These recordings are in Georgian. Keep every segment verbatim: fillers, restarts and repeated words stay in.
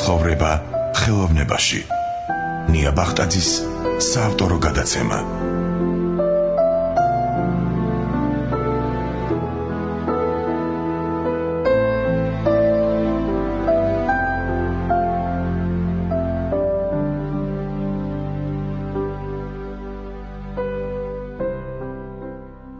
ცხოვრება ხელოვნებაში. ნია ბახტაძის საავტორო გადაცემა.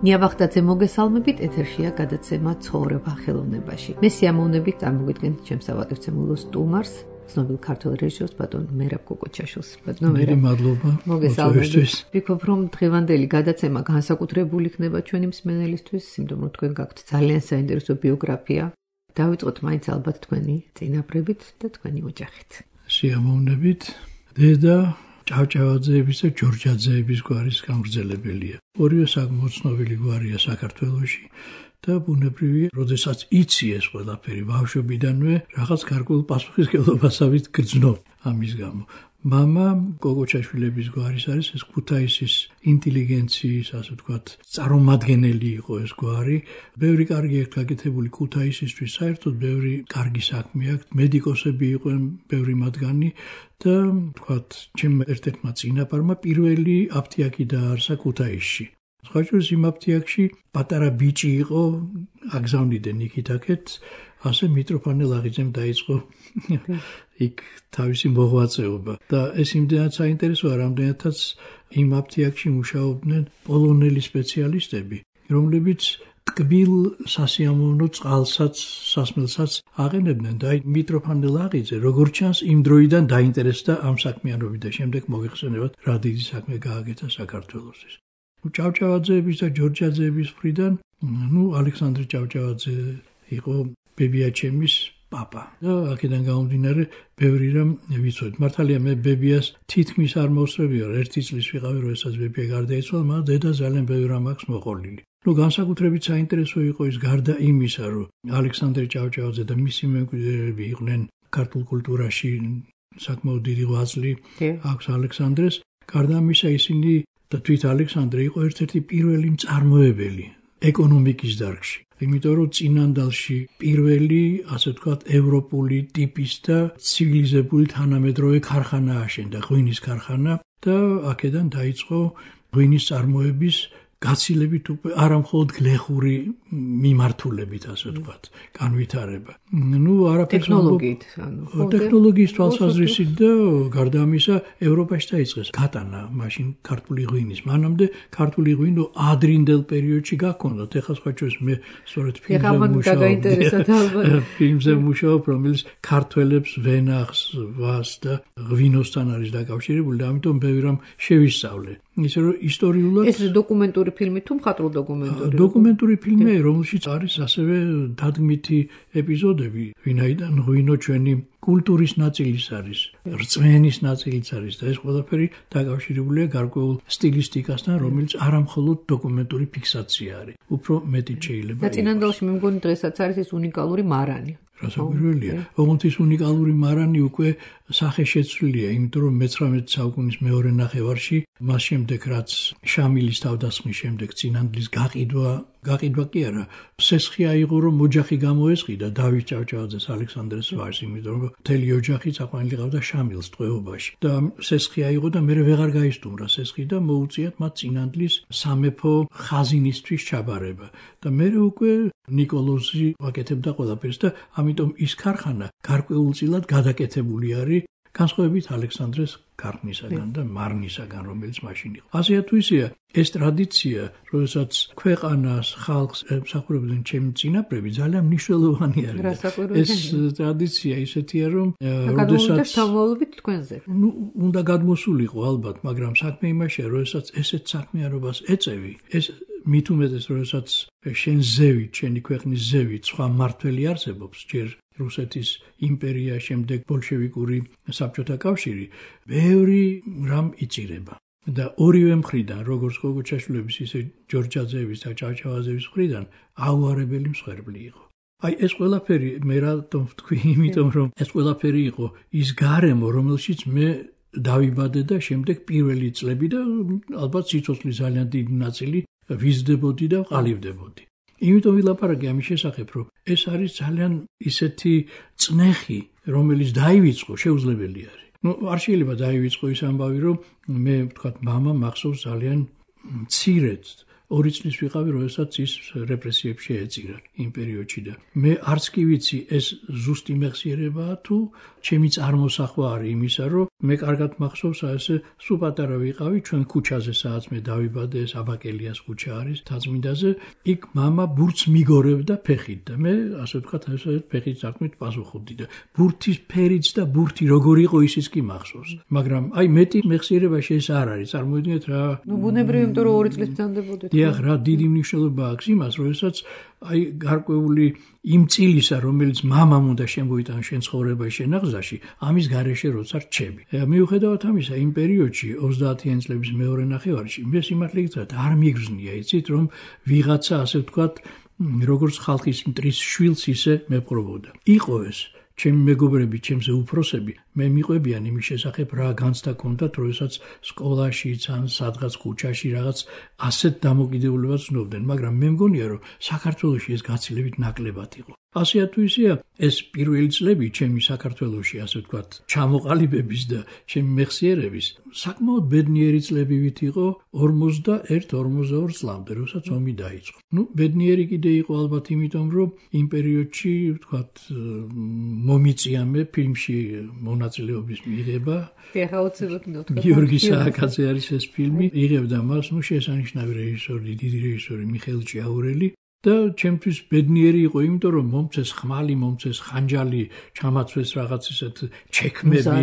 ნია ბახტაძე მოგესალმებით, ეთერშია გადაცემა ცხოვრება ხელოვნებაში. მე სიამოვნებით წარმოგიდგენთ ჩემს ავადმყოფო სტუმარს, ცნობილ ქართველ რეჟისორს ბატონ მერაბ კოკოჩაშვილს. მერი მადლობა. მოგესალმებით. ვიქნებ რომ დღევანდელი გადაცემა განსაკუთრებული იქნება ჩვენი მსმენელისთვის, იმიტომ რომ თქვენ გაქვთ ძალიან საინტერესო ბიოგრაფია. დავიწყოთ მაინც ალბათ თქვენი წინაპრებით და თქვენი ოჯახით. სიამოვნებით. დედა ჭავჭავაძეების და ჯორჯაძეების გვარის გამგრძელებელია. ორივე საკმაოდ ცნობილი გვარია საქართველოში და ბუნებრივია, როდესაც იცი ეს ყველაფერი ბავშვობიდანვე რაღაც გარკვეულ პასუხისმგებლობასავით გრძნობ ამის გამო. მამა კოკოჩაშვილების გვარის არის ეს ქუთაისის ინტელიგენციის, ასე ვთქვათ, წარმომადგენელი იყო ეს გვარი. ბევრი კარგი აქვს გაკეთებული ქუთაისისთვის, საერთოდ ბევრი კარგი საქმე აქვს. მედიკოსები იყვნენ ბევრი მათგანი და ვთქვათ, ჩემ ერთ-ერთმა წინაპარმა პირველი აფთიაქი დააარსა ქუთაისში. სხვაჭროს იმ აფთიაქში პატარა ბიჭი იყო, აგზავნიდნენ იქით-აქეთ, ასე მიტროფანე ლაღიძემ დაიწყო იქ თავისი მოღვაწეობა. და ეს იმდენად საინტერესოა, რამდენადაც იმ აფთიაქში მუშაობდნენ პოლონელი სპეციალისტები, რომლებიც ტკბილ სასიამოვნო წყალსაც, სასმელსაც აყენებდნენ და მიტროფანე ლაღიძე, როგორც ჩანს, იმ დროიდან დაინტერესდა ამ საქმიანობით და შემდეგ მოგეხსენებათ, რა დიდი საქმე გააკეთა საქართველოსთვის. ჭავჭავაძეების და ჯორჯაძეების მხრიდან, ნუ ალექსანდრე ჭავჭავაძე იყო ბებიაჩემის პაპა. და აქედან გამომდინარე, ბევრი რამ ვიცოდით. მართალია მე ბებიას თითქმის არ მოსწრებია, ერთი წლის ვიყავი, როდესაც ბებია გარდაიცვალა, მაგრამ დედა ძალიან ბევრი რამ აქვს მოყოლილი. ნუ განსაკუთრებით საინტერესო იყო ის, გარდა იმისა, რომ ალექსანდრე ჭავჭავაძე და მისი მემკვიდრეები იყვნენ ქართულ კულტურაში საკმაოდ დიდი ღვაწლი აქვს ალექსანდრეს. გარდა ამისა, ისინი და თვით ალექსანდრე იყო ერთ-ერთი პირველი მწარმოებელი ეკონომიკის დარგში. იმიტომ რომ წინანდალში პირველი, ასე ვთქვათ, ევროპული ტიპის და ცივილიზებული თანამედროვე ქარხანა აშენდა, ღვინის ქარხანა და აქედან დაიწყო ღვინის წარმოების გაცილებით უკვე არა მხოლოდ გლეხური მიმართულებით, ასე ვთქვათ, განვითარება. ნუ არაფერს ტექნოლოგიით, ანუ ტექნოლოგიის თვალსაზრისით და გარდა ამისა ევროპაში დაიწყეს გატანა მაშინ ქართული ღვინის. მანამდე ქართული ღვინო ადრინდელ პერიოდში გაქონდათ. ეხლა სხვაჭროს მე სწორედ ფილმზე მუშაობ, რომელიც ქართველებს ვენახს, ვას და ღვინოსთან არის დაკავშირებული და ამიტომ ბევრი რამ შევისწავლე. ისე რომ ისტორიულად ეს დოკუმენტური ფილმი თუ მხატვრული დოკუმენტური? დოკუმენტური ფილმი, რომელშიც არის ასევე დადგმითი ეპიზოდები, ვინაიდან ღვინო ჩვენი კულტურის ნაწილის არის, რწმენის ნაწილიც არის და ეს ყველაფერი დაკავშირებულია გარკვეულ სტილისტიკასთან, რომელიც არა მხოლოდ დოკუმენტური ფიქსაცია არის, უფრო მეტიც შეიძლება. და წინანდალში მე მგონი დღესაც არის ეს უნიკალური მარანი. რასაკვირველია, ოღონდ ის უნიკალური მარანი უკვე სახეშეცვლილია, იმიტომ რომ მეცხრამეტე საუკუნის მეორე ნახევარში, მას შემდეგ რაც შამილის თავდასხმის შემდეგ წინანდლის გაყიდვა, გაყიდვა კი არა, სესხი აიღო, რომ ოჯახი გამოესყიდა დავით ჭავჭავაძეს, ალექსანდრეს ვაჟს, იმიტომ რომ მთელი ოჯახი წაყვანილიყავდა შამილს ტყვეობაში და სესხი აიღო და მერე ვეღარ გაისტუმრა სესხი და მოუწიათ მათ წინანდლის სამეფო ხაზინისთვის ჩაბარება. და მერე უკვე ნიკოლოზი აკეთებდა ყველაფერს და ამიტომ ის ქარხანა გარკვეულწილად გადაკეთებული არის განსხვავებით ალექსანდრეს ქარხნისაგან და მარნისაგან, რომელიც მაშინ იყო. ასეა თუ ისეა, ეს ტრადიცია, როდესაც ქვეყანას, ხალხს ემსახურებდნენ ჩემი წინაპრები, ძალიან მნიშვნელოვანი არის. ეს ტრადიცია ისეთია, რომ როდესაც თავმოყრით თქვენზე. ნუ უნდა გადმოსულიყო ალბათ, მაგრამ საქმე იმაშია, როდესაც ესეთ საქმიანობას ეწევი, ეს მით უმეტეს, როდესაც შენ ზევით, შენი ქვეყნის ზევით სხვა მმართველი არსებობს, ჯერ რუსეთის იმპერია, შემდეგ ბოლშევიკური საბჭოთა კავშირი, ბევრი რამ იწირება. და ორივე მხრიდან, როგორც კოკოჩაშვილების, ისე ჯორჯაძეების და ჭავჭავაძეების მხრიდან აუარებელი მსხვერპლი იყო. აი ეს ყველაფერი მე რატომ ვთქვი, იმიტომ რომ ეს ყველაფერი იყო ის გარემო, რომელშიც მე დავიბადე და შემდეგ პირველი წლები და ალბათ სიცოცხლის ძალიან დიდი ნაწილი ვიზრდებოდი და ვყალიბდებოდი. იმიტომ ვილაპარაკე ამის შესახებ, რომ ეს არის ძალიან ისეთი წნეხი რომელიც დაივიწყო, შეუძლებელი არის. ნუ არ შეიძლება დაივიწყო ის ამბავი, რომ მე ვთქვათ, მამა მახსოვს ძალიან მცირედ ორი წლის ვიყავი, როდესაც ის რეპრესიებში ეწირა იმ პერიოდში და მე არც კი ვიცი ეს ზუსტი მეხსიერებაა თუ ჩემი წარმოსახვა არის იმისა, რომ მე კარგად მახსოვს ასე სულ პატარა ვიყავი ჩვენ ქუჩაზე, სადაც მე დავიბადე, ეს აბაკელიას ქუჩა არის თაწმინდაზე, იქ მამა ბურთს მიგორებდა ფეხით და მე ასე ვთქვათ, ასე ფეხით წარქმით პასუხობდი და ბურთის ფერიც და ბურთი როგორ იყო ისიც კი მახსოვს. მაგრამ აი მეტი მეხსიერებაში ეს არ არის, წარმოიდგინეთ რა. ნუ ბუნებრივი, იმიტომ რომ ორი წლის ბრძანდებოდეთ. დიახ, რა დიდი მნიშვნელობა აქვს იმას, როდესაც აი გარკვეული იმ წილისა, რომელიც მამამ უნდა შემოიტანოს შენ ცხოვრებაში, შენ აღზრდაში, ამის გარეშე როცა რჩები. მიუხედავად ამისა, იმ პერიოდში ოცდაათიანი წლების მეორე ნახევარში მე სიმართლე გითხრათ არ მიგრძნია, იცით, რომ ვიღაცა ასე ვთქვათ, როგორც ხალხის მტრის შვილს ისე მეპყრობოდა. იყო ეს ჩემი მეგობრები, ჩემზე უფროსები, მე მიყვებიან იმის შესახებ, რა განცდა ჰქონდათ, როდესაც სკოლაშიც ან სადღაც ქუჩაში რაღაც ასეთ დამოკიდებულებას ვცნობდნენ, მაგრამ მე მგონია, რომ საქართველოში ეს გაცილებით ნაკლებად იყო. ასეა თუ ისეა, ეს პირველი წლები ჩემი საქართველოში, ასე ვთქვათ, ჩამოყალიბების და ჩემი მეხსიერების საკმაოდ ბედნიერი წლებივით იყო ორმოცდაერთ ორმოცდაორ წლამდე, როდესაც ომი დაიწყო. ნუ ბედნიერი კიდე იყო ალბათ იმიტომ, რომ იმ პერიოდში, ვთქვათ, მომიწია მე ფილმში მონაწილეობის მიღება. გიორგი სააკაძე არის ეს ფილმი, იღებდა მას, ნუ შესანიშნავი რეჟისორი, დიდი რეჟისორი მიხეილ ჭიაურელი. და ჩემთვის ბედნიერი იყო, იმიტომ რომ მომწეს ხმალი, მომწეს ხანჯალი, ჩამაცვეს რაღაც ისეთ ჩექმები,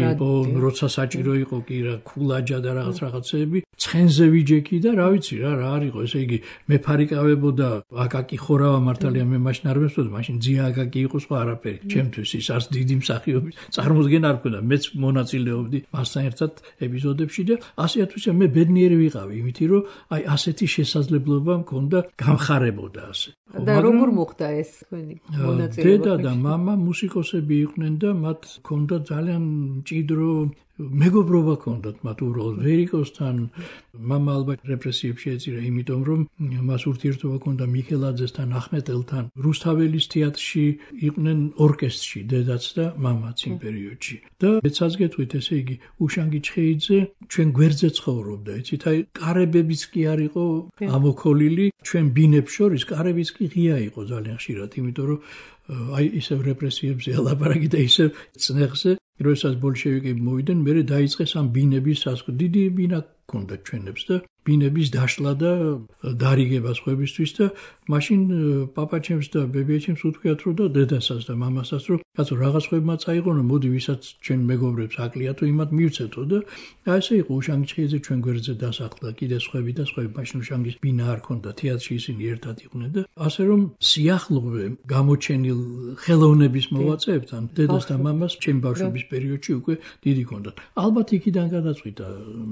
როცა საჭირო იყო კი რა ქულაჯა და რაღაც რაღაცეები, ცხენზე ვიჯექი და რა ვიცი რა, რა არ იყო, ესე იგი მეფარიკავებოდა აკაკი ხორავა მართალია მე მაშინ არ მესწოდა, მაშინ ძია აკაკი იყო სხვა არაფერი. ჩემთვის ის არც დიდი მსახიობის წარმოდგენა არ მქონდა, მეც მონაწილეობდი მასთან ერთად ეპიზოდებში და ასე თუ ისე მე ბედნიერი ვიყავი, იმითი რომ აი ასეთი შესაძლებლობა მქონდა გამხარებოდა ასე. და როგორ მოხდა ეს თქვენი მონაწილეობა? დედა და მამა მუსიკოსები იყვნენ და მათ ჰქონდა ძალიან მჭიდრო მეგობრობა ჰქონდათ მათ უბრალოდ ვერიკოსთან. მამა ალბათ რეპრესიებში ეწირა, იმიტომ რომ მას ურთიერთობა ჰქონდა მიქელაძესთან, ახმეტელთან. რუსთაველის თეატრში იყვნენ ორკესტრში დედაც და მამაც იმ პერიოდში. და მეცაც გეტყვით, ესე იგი უშანგი ჩხეიძე ჩვენ გვერდზე ცხოვრობდა, იცით, აი კარებებიც კი არ იყო ამოქოლილი, ჩვენ ბინებს შორის კარებიც კი ღია იყო ძალიან ხშირად, იმიტომ რომ აი ისევ რეპრესიებზე ელაპარაკი და ისევ წნეხზე, როდესაც ბოლშევიკები მოვიდნენ, მერე დაიწყეს ამ ბინების სასკო. დიდი ბინა ჰქონდათ ჩვენებს და ბინების დაშლა და დარიგება სხვებისთვის და მაშინ პაპაჩემს და ბებიაჩემს უთქვიათ რომ და დედასაც და მამასაც რომ კაცო რაღაც ხვებმა წაიღონო, მოდი ვისაც ჩვენ მეგობრებს აკლია თუ იმათ მივცეთო და ასე იყო უშანგი ჩხეიძე ჩვენ გვერდზე დასახლდა, კიდე სხვები და სხვები. მაშინ უშანგის ბინა არ ჰქონდა, თეატრში ისინი ერთად იყვნენ და ასე რომ სიახლოვე გამოჩენილ ხელოვნების მოვაწეებთან დედას და მამას ჩემი ბავშვობის პერიოდში უკვე დიდი ჰქონდათ. ალბათ იქიდან გადაწყვიტა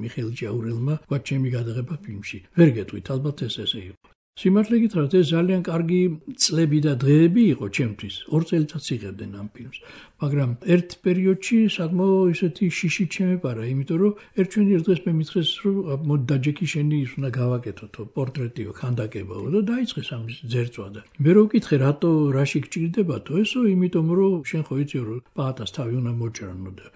მიხეილ ჭიაურელმა ვთქვათ ჩემი გადაღება ფილმში. ვერ გეტყვით, ალბათ ეს ესე იყო. სიმართლე გითხრათ, ეს ძალიან კარგი წლები და დღეები იყო ჩემთვის. ორ წელიწადს იღებდნენ ამ ფილმს. მაგრამ ერთ პერიოდში საკმაოდ ისეთი შიში ჩემეპარა, იმიტომ რომ ერთ ჩვენი ერთ დღეს მე მითხრეს, რომ მოდი დაჯექი შენი ის უნდა გავაკეთოთო, პორტრეტიო, ქანდაკებაო და დაიწყეს ამის ძერწვა და მე რო ვკითხე, რატო რაში გჭირდებათო, ესო იმიტომ რომ შენ ხო იცი რომ პაატას თავი უნდა მოჭრანო და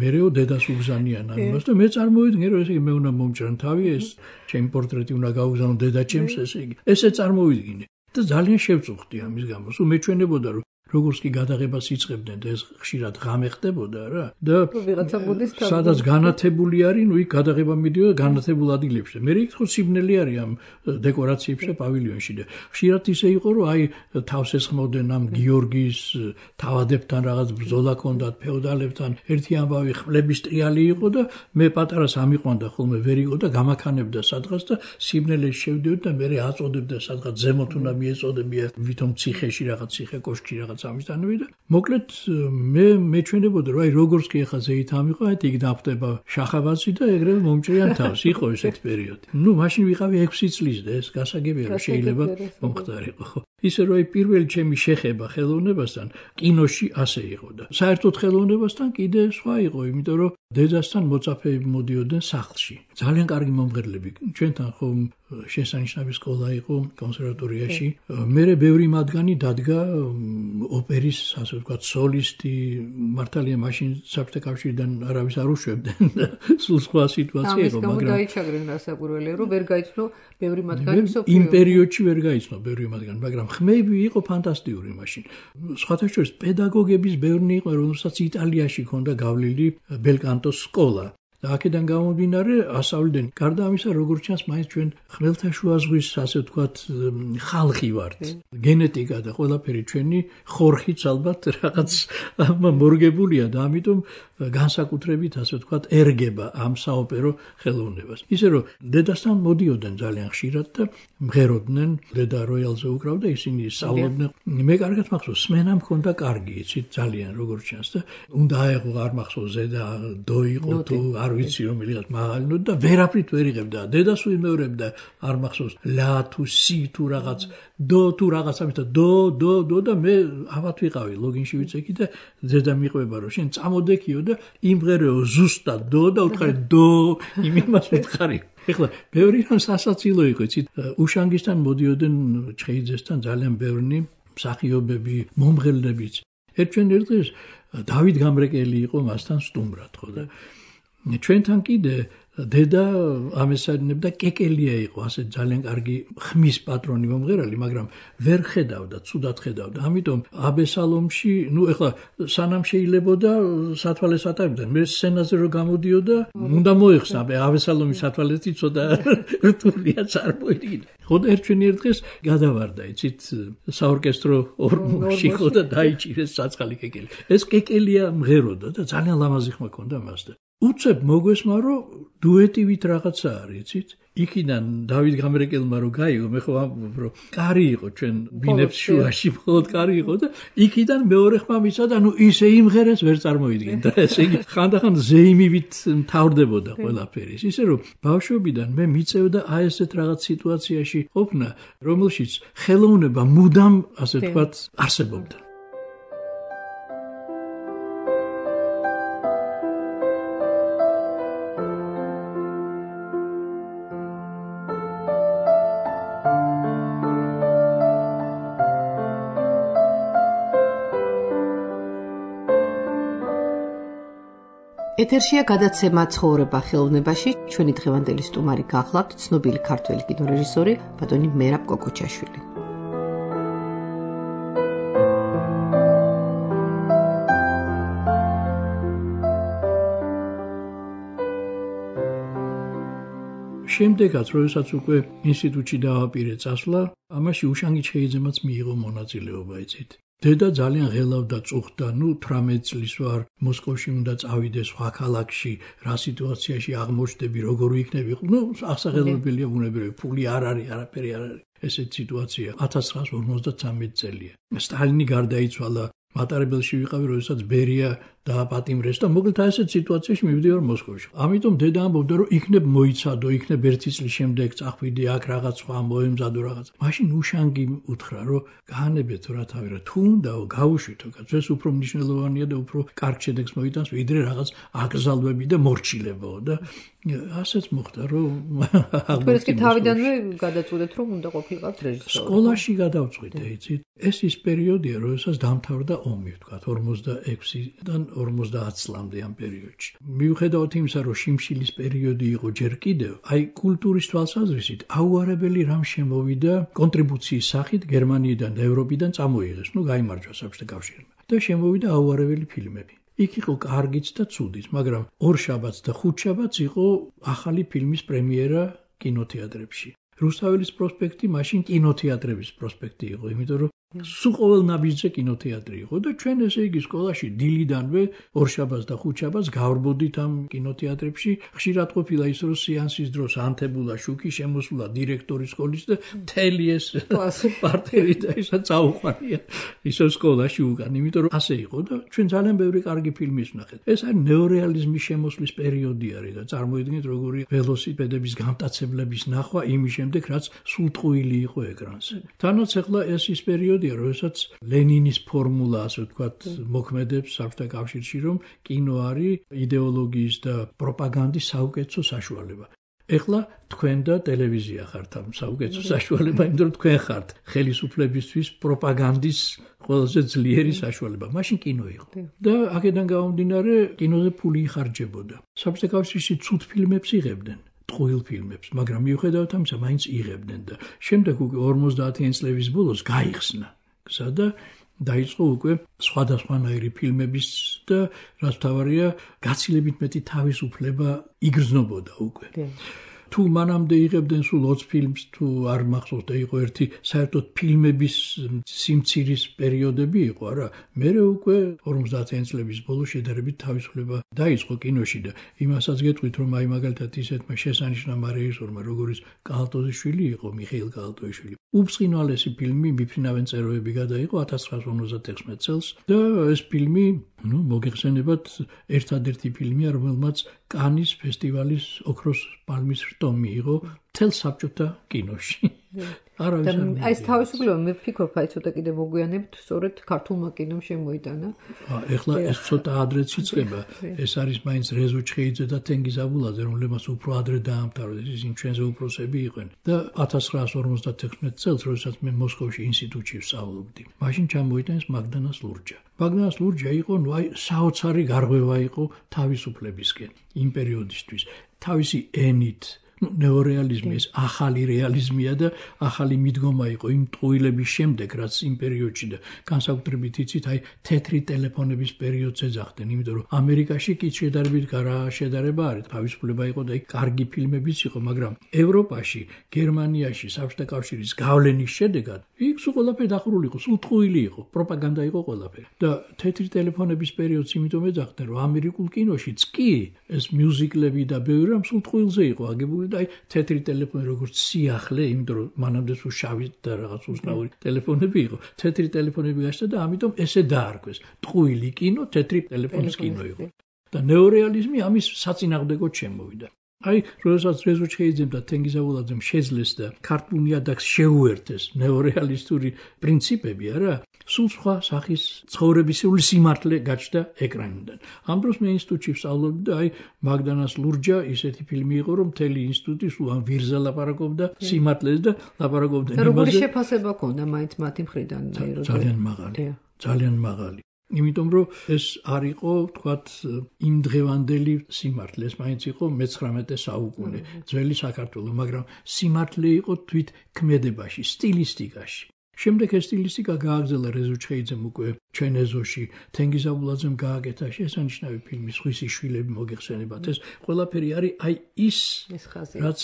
მერეო დედას უგზანიან ამას და მე წარმოვიდგინე რომ ესე იგი მე უნდა მომჭრან თავი, ეს ჩემი პორტრეტი უნდა გავუგზავნო დედაჩემს, ესე იგი ესე წარმოვიდგინე და ძალიან შევწუხდი ამის გამო. სულ მეჩვენებოდა რომ როგორც კი გადაღებას იწყებდნენ და ეს ხშირად ღამე ხდებოდა რა და სადაც განათებული არის, ნუ იქ გადაღება მიდიოდა განათებულ ადგილებში. მე იქ ხო სიბნელი არის ამ დეკორაციებში და პავილიონში და ხშირად ისე იყო რომ აი თავს ესხმოდნენ ამ გიორგის თავადებთან რაღაც ბრძოლა ჰქონდათ ფეოდალებთან, ერთი ამბავი ხმლების ტრიალი იყო და მე პატარას ამიყვანდა ხოლმე ვერ იყო და გამაქანებდა სადღაც და სიბნელეში შევდიოდი და მე აწოდებდა სადღაც ზემოთ უნდა მიეწოდებია ვითომ ციხეში რაღაც ციხე კოშკი რაღაც ამისთანები და მოკლედ მე მეჩვენებოდა რომ აი როგორც კი ახლა ზეით ამიყო, აი იქ დაფტება შახაბაცი და ეგრევე მომჭრიან თავს. იყო ესეთი პერიოდი. ნუ მაშინ ვიყავი ექვსი წლის და ეს გასაგებია რომ შეიძლება მომხდარიყო. ხო ისე რომ აი პირველი ჩემი შეხება ხელოვნებასთან კინოში ასე იყო და საერთოდ ხელოვნებასთან კიდე სხვა იყო, იმიტომ რომ დედასთან მოწაფეები მოდიოდნენ სახლში. ძალიან კარგი მომღერლები. ჩვენთან ხომ შესანიშნავი სკოლა იყო კონსერვატორიაში. მერე ბევრი მათგანი დადგა ოპერის, ასე ვთქვათ, სოლისტი, მართალია მაშინ საბჭოთა კავშირიდან არავის არ უშვებდნენ და სულ სხვა სიტუაცია იყო, მაგრამ ამის გამო დაიჩაგრენ გასაკვირველია, რომ ვერ გაიცნო ბევრი მათგანი მსოფლიო. იმ პერიოდში ვერ გაიცნო ბევრი მათგანი, მაგრამ ხმები იყო ფანტასტიკური მაშინ. სხვათა შორის პედაგოგების ბევრი იყო, რომელსაც იტალიაში ჰქონდა გავლილი ბელკანტოს სკოლა. და აქედან გამომდინარე ასავლდნენ. გარდა ამისა, როგორც ჩანს, მაინც ჩვენ ხმელთაშუა ზღვის, ასე ვთქვათ, ხალხი ვართ. გენეტიკა და ყველაფერი ჩვენი ხორხიც ალბათ რაღაც მორგებულია და ამიტომ განსაკუთრებით, ასე ვთქვათ, ერგება ამ საოპერო ხელოვნებას. ისე რომ დედასთან მოდიოდნენ ძალიან ხშირად და მღეროდნენ, დედა როიალზე უკრავდა, ისინი სწავლობდნენ. მე კარგად მახსოვს, სმენა მქონდა კარგი, იცით, ძალიან როგორც ჩანს და უნდა აეღო, არ მახსოვს ზედა დო იყო თუ არ ვიცი რომ მიღაც მაღალი ნოტა და ვერაფრით ვერ იღებდა. დედას უიმეორებდა, არ მახსოვს ლა თუ სი თუ რაღაც დო თუ რაღაც ამით და დო დო დო და მე ავად ვიყავი ლოგინში ვიცექი და ზედა მიყვება რომ შენ წამოდექიო და იმღერეო ზუსტად დო და უთხარი დო იმას ვითხარი. ეხლა ბევრი რამ სასაცილო იყო, იცით, უშანგისთან მოდიოდნენ ჩხეიძესთან ძალიან ბევრი მსახიობები, მომღერლებიც. ერთჩენ ერთ დღეს დავით გამრეკელი იყო მასთან სტუმრად, ხო და ჩვენთან კიდე დედა ამესარნებდა კეკელია იყო, ასე ძალიან კარგი ხმის პატრონი მომღერალი, მაგრამ ვერ ხედავდა, ცუდად ხედავდა. ამიტომ აბესალომში, ნუ ეხლა სანამ შეიძლებოდა სათვალეს ატარებდნენ. მე სცენაზე რო გამოდიოდა, უნდა მოიხსნა, აბესალომის სათვალეთი ცოტა რთულია წარმოიდგინე. ხო და ერთჩვენი ერთ დღეს გადავარდა, იცით, საორკესტრო ორმოში ხო და დაიჭირეს საწყალი კეკელი. ეს კეკელია მღეროდა და ძალიან ლამაზი ხმა ჰქონდა მას და უცებ მოგესმა რომ დუეტივით რაღაცა არის, იცით? იქიდან დავით გამრეკელმა რო გაიგო, მე ხო ამბობ რომ კარი იყო ჩვენ ბინებს შუაში, მხოლოდ კარი იყო და იქიდან მეორე ხმა მისცა და ნუ ისე იმღერეს ვერ წარმოიდგინე და ესე იგი ხანდახან ზეიმივით მთავრდებოდა ყველაფერი. ისე რომ ბავშვობიდან მე მიწევდა აი ესეთ რაღაც სიტუაციაში ყოფნა, რომელშიც ხელოვნება მუდამ, ასე ვთქვათ, არსებობდა. ეთერშია გადაცემა ცხოვრება ხელოვნებაში. ჩვენი დღევანდელი სტუმარი გახლავთ ცნობილი ქართველი კინორეჟისორი ბატონი მერაბ კოკოჩაშვილი. შემდეგაც, როდესაც უკვე ინსტიტუტში დავაპირე წასვლა, ამაში უშანგი ჩხეიძემაც მიიღო მონაწილეობა, იცით. დედა ძალიან ღელავდა, წუხდა, ნუ თვრამეტ წლის ვარ, მოსკოვში უნდა წავიდე, სხვა ქალაქში, რა სიტუაციაში აღმოჩნდები, როგორ იქნები, ნუ ასაღელველია ბუნებრივი, ფული არ არის, არაფერი არ არის. ესეთ სიტუაცია ათას ცხრაას ორმოცდათრამეტი წელია. სტალინი გარდაიცვალა, მატარებელში ვიყავი, როდესაც ბერია დააპატიმრეს და მოკლედ ასეთ სიტუაციაში მივდივარ მოსკოვში. ამიტომ დედა ამბობდა, რომ იქნებ მოიცადო, იქნებ ერთი წლის შემდეგ წახვიდე აქ რაღაც სხვა მოემზადო რაღაც. მაშინ უშანგი უთხრა, რომ გაანებეთ რა თავი რა, თუ უნდაო გავუშვითო, ეს უფრო მნიშვნელოვანია და უფრო კარგ შედეგს მოიტანს, ვიდრე რაღაც აკრძალვები და მორჩილებაო და ასეც მოხდა, რომ თქვენ კი თავიდანვე გადაწყვეტეთ, რომ უნდა ყოფილიყავთ რეჟისორი. სკოლაში გადავწყვიტე, იცით. ეს ის პერიოდია, როდესაც დამთავრდა ომი, ვთქვათ, ორმოცდაექვსიდან ორმოცდაათ წლამდე ამ პერიოდში. მიუხედავად იმისა, რომ შიმშილის პერიოდი იყო ჯერ კიდევ, აი კულტურის თვალსაზრისით აუარებელი რამ შემოვიდა კონტრიბუციის სახით გერმანიიდან და ევროპიდან წამოიღეს, ნუ გაიმარჯვა საბჭოთა კავშირმა. და შემოვიდა აუარებელი ფილმები. იქ იყო კარგიც და ცუდიც, მაგრამ ორშაბათს და ხუთშაბათს იყო ახალი ფილმის პრემიერა კინოთეატრებში. რუსთაველის პროსპექტი მაშინ კინოთეატრების პროსპექტი იყო, იმიტომ რომ სულ ყოველ ნაბიჯზე კინოთეატრი იყო და ჩვენ ესე იგი სკოლაში დილიდანვე ორშაბათს და ხუთშაბათს გავრბოდით ამ კინოთეატრებში. ხშირად ყოფილა ის, რომ სეანსის დროს ანთებულა შუქი შემოსულა დირექტორის სკოლის და მთელი ეს პარტერი და ისა წაუყვანია ისო სკოლაში უკან, იმიტომ რომ ასე იყო და ჩვენ ძალიან ბევრი კარგი ფილმის ვნახეთ. ეს არის ნეორეალიზმის შემოსვლის პერიოდი არის და წარმოიდგინეთ როგორი ველოსიპედების გამტაცებლების ნახვა იმის შემდეგ, რაც სულტყუილი იყო ეკრანზე. თანაც ახლა ეს ის პერიოდი როდესაც ლენინის ფორმულა, ასე ვთქვათ, მოქმედებს საბჭოთა კავშირში, რომ კინო არის იდეოლოგიის და პროპაგანდის საუკეთესო საშუალება. ეხლა თქვენ და ტელევიზია ხართ ამ საუკეთესო საშუალება, იმიტომ რომ თქვენ ხართ ხელისუფლებისთვის პროპაგანდის ყველაზე ძლიერი საშუალება. მაშინ კინო იყო. და აქედან გამომდინარე კინოზე ფული იხარჯებოდა. საბჭოთა კავშირში ცუდ ფილმებს იღებდნენ. ტყუილ ფილმებს, მაგრამ მიუხედავად ამისა, მაინც იღებდნენ და შემდეგ უკვე ორმოცდაათიანი წლების ბოლოს გაიხსნა გზა და დაიწყო უკვე სხვადასხვანაირი ფილმების და რაც მთავარია, გაცილებით მეტი თავისუფლება იგრძნობოდა უკვე. თუ მანამდე იღებდნენ სულ ოცი ფილმს, თუ არ მახსოვს და იყო ერთი საერთოდ ფილმების სიმცირის პერიოდები იყო, არა, მერე უკვე ორმოცდაათიანი წლების ბოლოს შედარებით თავისუფლება დაიწყო კინოში და იმასაც გეტყვით, რომ აი მაგალითად ისეთმა შესანიშნავ რეჟისორმა, როგორიც კალატოზიშვილი იყო, მიხეილ კალატოზიშვილი, უბწყინვალესი ფილმი „მიფრინავენ წეროები“ გადაიღო ათას ცხრაასა ორმოცდათექვსმეტ წელს და ეს ფილმი, ну, მოგეხსენებათ, ერთადერთი ფილმია, რომელმაც კანის ფესტივალის ოქროს პალმის რტო მიიღო მთელ საბჭოთა კინოში. აი ეს თავისუფლება მე ვფიქრობ, აი ცოტა კიდე მოგვიანებით, სწორედ ქართულმა კინომ შემოიტანა. ეხლა ეს ცოტა ადრეც იწყება. ეს არის მაინც რეზო ჩხეიძე და თენგიზ აბულაძე, რომლებმაც უფრო ადრე დაამთავრეს, ისინი ჩვენზე უფროსები იყვნენ. და ათას ცხრაასა ორმოცდათექვსმეტ წელს, როდესაც მე მოსკოვში ინსტიტუტში ვსწავლობდი, მაშინ ჩამოიტანეს მაგდანას ლურჯა. მაგდანას ლურჯა იყო, ну, აი საოცარი გარღვევა იყო თავისუფლებისკენ იმ პერიოდისთვის. თავისი ენით ნეორეალიზმი ეს ახალი რეალიზმია და ახალი მიდგომა იყო იმ ტყუილების შემდეგ, რაც იმ პერიოდში და განსაკუთრებით იცით, აი თეთრი ტელეფონების პერიოდს ეძახდნენ, იმიტომ რომ ამერიკაში კი შედარებით რა შედარება არის, თავისუფლება იყო და იქ კარგი ფილმებიც იყო, მაგრამ ევროპაში, გერმანიაში, საბჭოთა კავშირის გავლენის შედეგად იქ სულ ყველაფერი დახურული იყო, სულ ტყუილი იყო, პროპაგანდა იყო ყველაფერი. და თეთრი ტელეფონების პერიოდს იმიტომ ეძახდნენ, რომ ამერიკულ კინოშიც კი ეს მიუზიკლები და ბევრი რამ სულ ტყუილზე იყო აგებული. აი თეთრი ტელეფონი როგორც სიახლე, იმიტომ რომ მანამდე სულ შავი და რაღაც უცნაური ტელეფონები იყო. თეთრი ტელეფონები გაშდა და ამიტომ ესე დაარქვეს. ტყუილი კინო, თეთრი ტელეფონის კინო იყო. და ნეორეალიზმი ამის საწინააღმდეგოდ შემოვიდა. აი, როდესაც რეზო ჩხეიძემ და თენგიზ აბულაძემ შეძლეს და ქართულ ნიადაგს შეუერთეს ნეორეალისტური პრინციპები, არა, სულ სხვა სახის ცხოვრებისეული სიმართლე გაჩნდა ეკრანიდან. ამ დროს მე ინსტიტუტში ვსწავლობდი და აი მაგდანას ლურჯა ისეთი ფილმი იყო, რომ მთელი ინსტიტუტი სულ ამ ვირზე ლაპარაკობდა სიმართლეს და ლაპარაკობდა იმაზე. როგორი შეფასება ჰქონდა მაინც მათი მხრიდან? ძალიან მაღალი. ძალიან მაღალი. იმიტომ რომ ეს არ იყო, თქვათ, იმ დღევანდელი სიმართლე, ეს მაინც იყო მეცხრამეტე საუკუნე, ძველი საქართველო, მაგრამ სიმართლე იყო თვით ქმედებაში, სტილისტიკაში. შემდეგ ეს სტილისტიკა გააგრძელა რეზო ჩხეიძემ უკვე ჩვენ ეზოში, თენგიზ აბულაძემ გააკეთა შესანიშნავი ფილმი „სხვისი შვილები“ მოგეხსენებათ. ეს ყველაფერი არის აი ის, რაც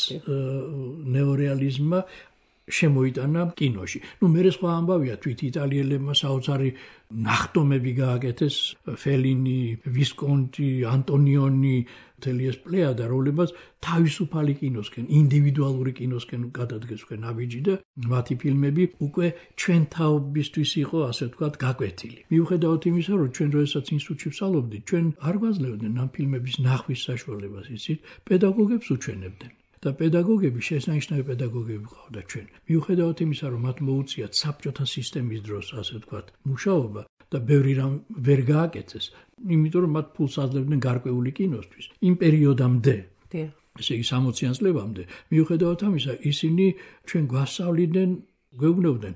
ნეორეალიზმმა შემოიტანა კინოში. ნუ მე სხვა ამბავია, თვით იტალიელებმა საოცარი ნახტომები გააკეთეს, ფელინი, ვისკონტი, ანტონიონი, მთელი ეს პლეიადა, რომლებმაც თავისუფალი კინოსკენ, ინდივიდუალური კინოსკენ გადადგეს უკვე ნაბიჯი და მათი ფილმები უკვე ჩვენ თაობისთვის იყო, ასე ვთქვათ, გაკვეთილი. მიუხედავად იმისა, რომ ჩვენ როდესაც ინსტიტუტში ვსწავლობდით, ჩვენ არ გვაძლევდნენ ამ ფილმების ნახვის საშუალებას, იცით, პედაგოგებს უჩვენებდნენ. და პედაგოგები, შესანიშნავი პედაგოგები ყავდა ჩვენ. მიუხედავად იმისა, რომ მათ მოუწიათ საბჭოთა სისტემის დროს, ასე ვთქვათ, მუშაობა და ბევრი რამ ვერ გააკეთეს, იმიტომ რომ მათ ფულს აძლევდნენ გარკვეული კინოსთვის. იმ პერიოდამდე, ესე იგი სამოციან წლებამდე, მიუხედავად ამისა, ისინი ჩვენ გვასწავლიდნენ, გვეუბნებოდნენ,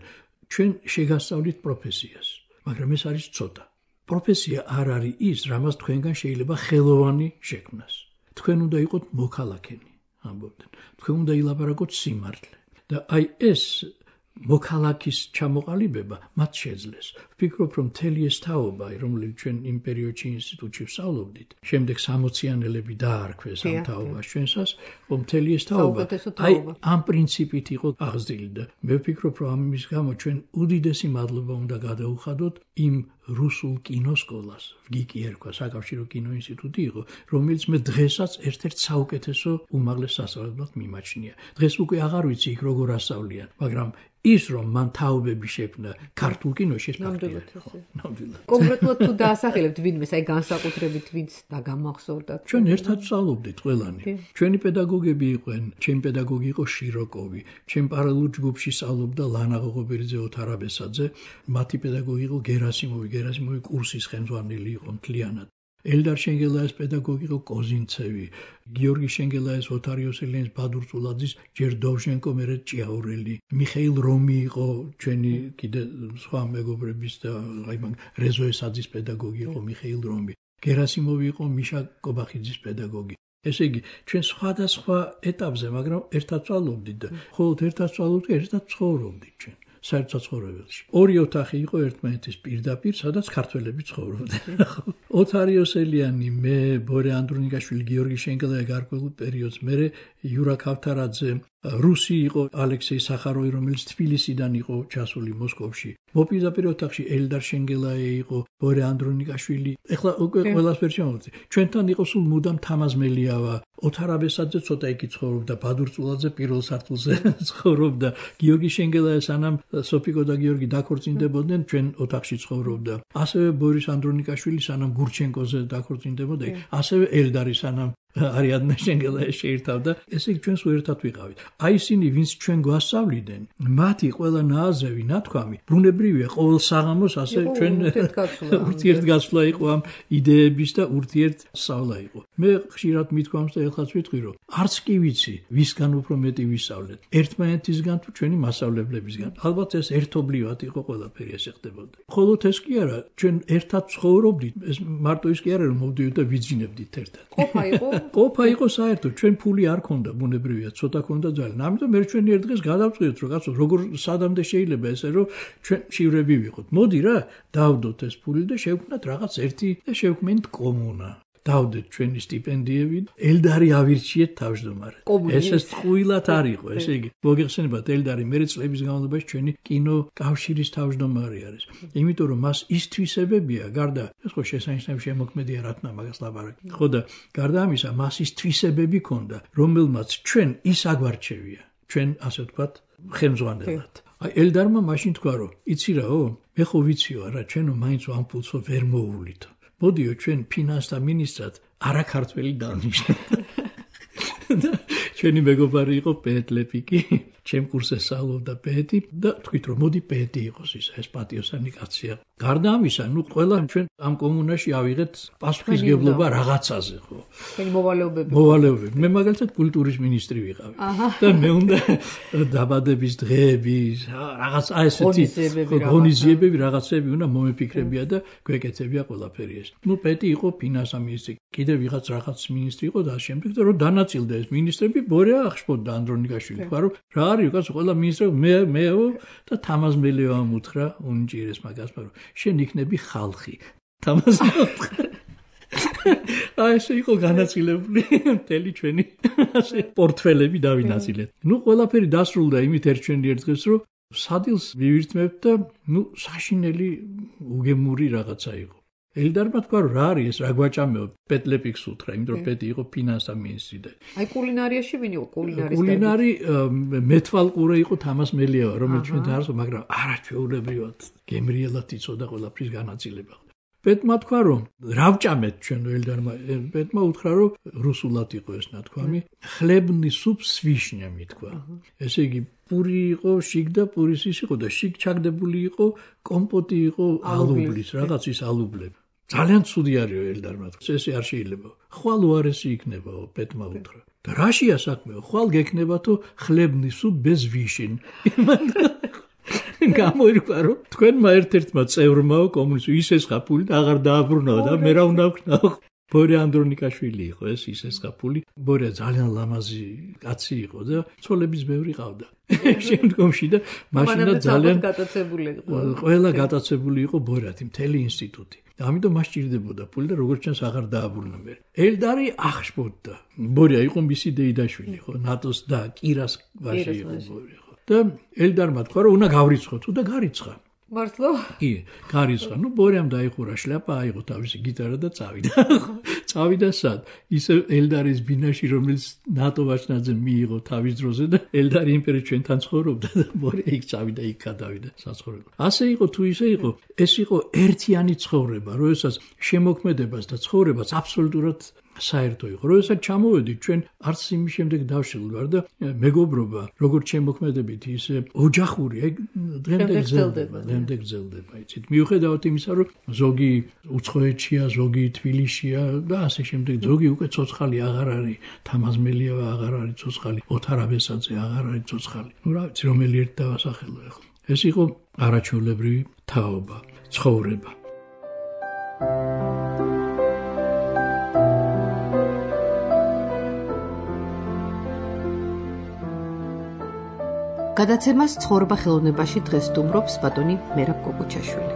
ჩვენ შეგასწავლით პროფესიას, მაგრამ ეს არის ცოტა. პროფესია არ არის ის, რამაც თქვენგან შეიძლება ხელოვანი შექმნას. თქვენ უნდა იყოთ მოქალაქენი. ამბობდნენ. თქვენ უნდა ილაპარაკოთ სიმართლე. და აი ეს მოქალაქის ჩამოყალიბება მათ შეძლეს. ვფიქრობ, რომ მთელი ეს თაობა, რომელიც ჩვენ იმ პერიოდში ინსტიტუტში ვსწავლობდით, შემდეგ სამოციანელები დაარქვეს ამ თაობას ჩვენსას, რომ მთელი ეს თაობა აი ამ პრინციპით იყო აღზრდილი და მე ვფიქრობ, რომ ამის გამო ჩვენ უდიდესი მადლობა უნდა გადაუხადოთ იმ რუსულ კინოსკოლას, ვგიკი ერქვა, საკავშირო კინოინსტიტუტი იყო, რომელიც მე დღესაც ერთ-ერთ საუკეთესო უმაღლეს სასწავლებლად მიმაჩნია. დღეს უკვე აღარ ვიცი იქ როგორ ასწავლიან, მაგრამ ის რომ მან თაობები შექმნა ქართულ კინოში ეს ფაქტია. ნამდვილად. კონკრეტულად თუ დაასახელებთ ვინმეს, აი განსაკუთრებით ვინც დაგამახსოვრდათ. ჩვენ ერთად ვსწავლობდით ყველანი. ჩვენი პედაგოგები იყვნენ, ჩემი პედაგოგი იყო შიროკოვი, ჩემ პარალელურ ჯგუფში სწავლობდა ლანა ღოღობერიძე, ოთარ აბესაძე, მათი პედაგოგი იყო გერასიმოვი, გერასიმოვი კურსის ხელმძღვანელი იყო მთლიანად. ელდარ შენგელაის პედაგოგი იყო კოზინცევი, გიორგი შენგელაის, ოთარ იოსელიანის, ბადურ წულაძის, ჯერ დოვჟენკო, მერე ჭიაურელი, მიხეილ რომი იყო ჩვენი კიდე სხვა მეგობრების და აი მაგ რეზოესაძის პედაგოგი იყო მიხეილ რომი, გერასიმოვი იყო მიშა კობახიძის პედაგოგი. ესე იგი, ჩვენ სხვადასხვა ეტაპზე, მაგრამ ერთად ვწავლობდით და მხოლოდ ერთად ვწავლობდით, ერთად ცხოვრობდით ჩვენ. საერთო ცხოვრებაში. ორი ოთახი იყო ერთმანეთის პირდაპირ, სადაც ქართველები ცხოვრობდნენ. ოთარ იოსელიანი, მე, ბორე ანდრონიკაშვილი, გიორგი შენგელაი გარკვეულ პერიოდს, მერე იურა ქავთარაძე, რუსი იყო ალექსეი სახაროვი, რომელიც თბილისიდან იყო ჩასული მოსკოვში. მოპირდაპირ ოთახში ელდარ შენგელაი იყო, ბორე ანდრონიკაშვილი. ეხლა უკვე ყველასფერ შემოვიდი. ჩვენთან იყო სულ მუდამ თამაზმელიავა, ოთარ აბესაძე ცოტა იქ ცხოვრობდა, ბადურ წულაძე პირველ სართულზე ცხოვრობდა, გიორგი შენგელაი სანამ სოფიკო და გიორგი დაქორწინდებოდნენ, ჩვენ ოთახში ცხოვრობდა. ასევე ბორის ანდრონიკაშვილი სანამ გურჩენკოზე დაქორწინდებოდა, ასევე ელდარი სანამ არიადნა შენგელაი შეირთავდა. ესე იგი ჩვენს ერთად ვიყავით. აი ისინი, ვინც ჩვენ გვასწავლიდნენ, მათი ყველა ნააზრევი, ნათქვამი, ბრუნებრივია ყოველ საღამოს, ასე ჩვენ ურთიერთგაცვლა იყო ამ იდეების და ურთიერთსავლა იყო. მე ხშირად მithქვამს და ეხლაც ვიტყვი, რომ არც კი ვიცი, ვისგან უფრო მეტი ვისწავლეთ. ერთმანეთისგან თუ ჩვენი მასწავლებლებისგან. ალბათ ეს ერთობლივად იყო ყველაფერი ესე ხდებოდა. მხოლოდ ეს კი არა, ჩვენ ერთად ცხოვრობდით, ეს მარტო ის კი არა, რომ მოვდივით და ვიძინებდით ერთად. ყოფა იყო ყოფა იყო საერთოდ, ჩვენ ფული არ ქონდა, ბუნებრივია, ცოტა ქონდა ძალიან. ამიტომ ერთ ჩვენ ერთ დღეს გადავწყვიტეთ, რომ კაცო, როგორ სადამდე შეიძლება ესე, რომ ჩვენ შივრები ვიყოთ. მოდი რა, დავდოთ ეს ფული და შევქმნათ რაღაც ერთი და შევქმნით კომუნა. დავდეთ ჩვენი სტიპენდიები, ელდარი ავირჩიეთ თავმჯდომარე. ესეც ტყუილად არ იყო, ესე იგი, მოგეხსენებათ, ელდარი მერე წლების განმავლობაში ჩვენი კინო კავშირის თავმჯდომარე არის. იმიტომ რომ მას ის თვისებებია, გარდა ეს ხო შესანიშნავი შემოქმედია რა თქმა მაგას ლაპარაკი. ხო და გარდა ამისა, მას ის თვისებები ქონდა, რომელმაც ჩვენ ის აგვარჩევია, ჩვენ ასე ვთქვათ, ხელმძღვანელად. აი ელდარმა მაშინ თქვა, რომ იცი რაო, მე ხო ვიციო არა, ჩვენო მაინც ამ ფულსო ვერ მოუვლით. მოდიო ჩვენ ფინანსთა მინისტრად არაქართველი დავნიშნოთ. ჩვენი მეგობარი იყო პეტლეპიკი, ჩემ კურსზე სწავლობდა პეტი და თქვით რომ მოდი პეტი იყოს ისა, ეს პატიოსანი კაცია. გარდა ამისა, ნუ ყველა ჩვენ ამ კომუნაში ავიღეთ პასუხისმგებლობა რაღაცაზე, ხო? ჩვენი მოვალეობები. მოვალეობები. მე მაგალითად კულტურის მინისტრი ვიყავი. და მე უნდა დაბადების დღეები, რაღაც აი ესეთი ღონისძიებები, რაღაცები უნდა მომეფიქრებია და გვეკეთებია ყველაფერი ეს. ნუ პეტი იყო ფინანსთა მინისტრი, კიდე ვიღაც რაღაც მინისტრი იყო და შემდეგ და რომ დანაწილდა ეს მინისტრები, ბორე აღშფოთდა ანდრონიკაშვილი, თქვა რომ რა არის კაცო, ყველა მინისტრები მე მეო და თამაზმელიავა მუთხრა უნჭირეს მაგას, მაგრამ შენ იქნები ხალხი. თამაზმელიავა აი ესე იყო განაწილებული მთელი ჩვენი ასე პორტფელები დავინაწილეთ. ნუ ყველაფერი დასრულდა იმით ერთ ჩვენი ერთ დღეს, რომ სადილს ვივირთმევთ და ნუ საშინელი უგემური რაღაცა იყო. ელდარმა თქვა რომ რა არის ეს, რა გვაჭამეო, პეტლეპიკს უთხრა, იმიტომ რომ პეტი იყო ფინანსთა მინისტრი და აი კულინარიაში ვინ იყო კულინარის კულინარი მეთვალყურე იყო თამაზმელიავა, რომელიც ჩვენ დაარსო, მაგრამ არაჩვეულებრივად გემრიელად იცოდა ყველაფრის განაწილება. პეტმა თქვა რომ რა ვჭამეთ ჩვენ ელდარმა, პეტმა უთხრა რომ რუსულად იყო ეს ნათქვამი, ხლებნი სუპ с вишнями თქვა. ესე იგი პური იყო, შიგ და პურის ის იყო და შიგ ჩაგდებული იყო, კომპოტი იყო ალუბლის, რაღაც ის ალუბლები. ძალიან ცუდი არისო ელდარმა თქვა. ესე არ შეიძლება. ხვალ უარესი იქნებაო, პეტმა უთხრა. და რაშია საქმეო? ხვალ გექნებათო ხლებნი სუპ без вишен. გამოირკვა რომ თქვენმა ერთ-ერთმა წევრმაო კომუნისტი ისეს ხაფული და აღარ დააბრუნაო და მე რა უნდა ვქნაო. ბორე ანდრონიკაშვილი იყო ეს ისეს ხაფული. ბორე ძალიან ლამაზი კაცი იყო და ცოლების ბევრი ყავდა. შემდგომში და მაშინა ძალიან გატაცებული იყო. ყველა გატაცებული იყო ბორათი, მთელი ინსტიტუტი. და ამიტომ მას ჭირდებოდა ფული და როგორც ჩანს აღარ დააბრუნა მე. ელდარი აღშფოთდა. ბორე იყო მისი დეიდაშვილი, ხო, ნატოს და კირას ვაჟი იყო ბორე. და ელდარმა თქვა რომ უნდა გავრიცხო, თუ და გარიცხა. მართლა? კი, გარიცხა. ნუ ბორემ დაიხურა შლაპა, აიღო თავისი გიტარა და წავიდა. წავიდა სად? ისე ელდარის ბინაში, რომელიც ნატო ვაჭნაძე მიიღო თავის დროზე და ელდარი იმპერი ჩვენთან ცხოვრობდა და ბორე იქ წავიდა, იქ გადავიდა საცხოვრებლად. ასე იყო თუ ისე იყო, ეს იყო ერთიანი ცხოვრება, როდესაც შემოქმედებას და ცხოვრებას აბსოლუტურად საერთო იყო. როდესაც ჩამოვედით ჩვენ არც იმის შემდეგ დავშილ ვარ და მეგობრობა, როგორც შემოქმედებით, ისე ოჯახური, აი დღემდე გრძელდება, დღემდე გრძელდება, იცით. მიუხედავად იმისა, რომ ზოგი უცხოეთშია, ზოგი თბილისშია და ასე შემდეგ, ზოგი უკვე ცოცხალი აღარ არის, თამაზმელიავა აღარ არის ცოცხალი, ოთარ აბესაძე აღარ არის ცოცხალი. ნუ რა ვიცი, რომელი ერთ დავასახელო ახლა. ეს იყო არაჩვეულებრივი თაობა, ცხოვრება. გადაცემას ცხოვრება ხელოვნებაში დღეს სტუმრობს ბატონი მერაბ კოკუჩაშვილი.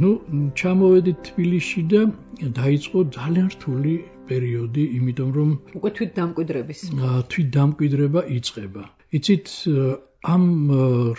ნუ ჩამოვედით თბილისში და დაიწყო ძალიან რთული პერიოდი, იმიტომ რომ უკვე თვით დამკვიდრების თვით დამკვიდრება იწყება. იცით, ამ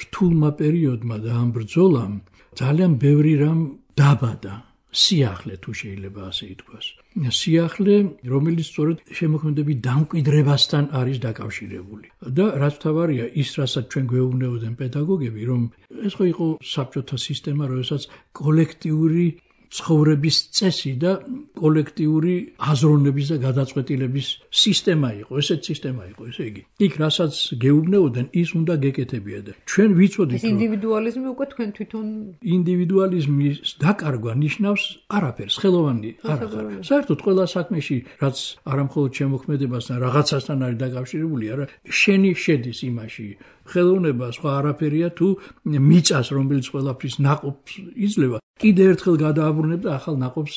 რთულმა პერიოდმა და ამ ბრძოლამ ძალიან ბევრი რამ დაბადა. სიახლე თუ შეიძლება ასე ითქვას. სიახლე, რომელიც სწორედ შემოქმედების დამკვიდრებასთან არის დაკავშირებული. და რაც თავარია, ის რასაც ჩვენ გვეუბნებოდნენ პედაგოგები, რომ ეს ხო იყო საბჭოთა სისტემა, როდესაც კოლექტიური ცხოვრების წესი და კოლექტიური აზროვნების და გადაწყვეტილების სისტემა იყო, ესეთ სისტემა იყო, ესე იგი. იქ რასაც გეუბნებოდნენ, ის უნდა გეკეთებია და ჩვენ ვიცოდით, რომ ინდივიდუალიზმი უკვე თქვენ თვითონ ინდივიდუალიზმის დაკარგვა ნიშნავს არაფერს, ხელოვანი არ ახარ. საერთოდ ყველა საქმეში, რაც არამხოლოდ შემოქმედებასთან, რაღაცასთან არის დაკავშირებული, არა, შენი შედის იმაში. ხელოვნება სხვა არაფერია თუ მიწას, რომელიც ყველაფრის ნაყოფს იძლევა, კიდე ერთხელ გადააბრუნებ და ახალ ნაყოფს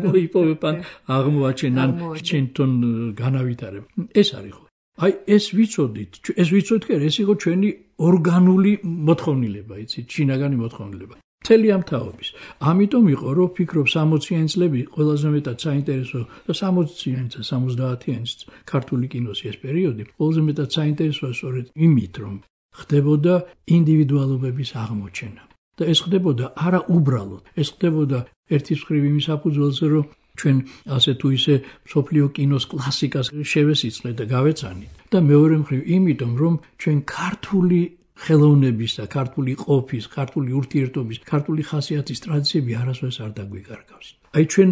მოიპოვებ ან აღმოაჩენ ან ჩვენთან განავითარებ. ეს არის ხო? აი ეს ვიცოდით, ეს ვიცოდით, ეს იყო ჩვენი ორგანული მოთხოვნილება, იცით, შინაგანი მოთხოვნილება. მთელი ამ თაობის. ამიტომ იყო, რომ ვფიქრობ სამოციანი წლები ყველაზე მეტად საინტერესო და სამოციანი და სამოცდაათიანი ქართული კინოს ეს პერიოდი ყველაზე მეტად საინტერესოა სწორედ იმით, რომ ხდებოდა ინდივიდუალობების აღმოჩენა. და ეს ხდებოდა არა უბრალოდ, ეს ხდებოდა ერთის მხრივ იმის საფუძველზე, რომ ჩვენ ასე თუ ისე მსოფლიო კინოს კლასიკას შევესიწყლეთ და გავეცანით. და მეორე მხრივ იმიტომ, რომ ჩვენ ქართული ხელოვნების და ქართული ყოფის, ქართული ურთიერთობის, ქართული ხასიათის ტრადიციები არასოდეს არ დაგვიკარგავს. აი ჩვენ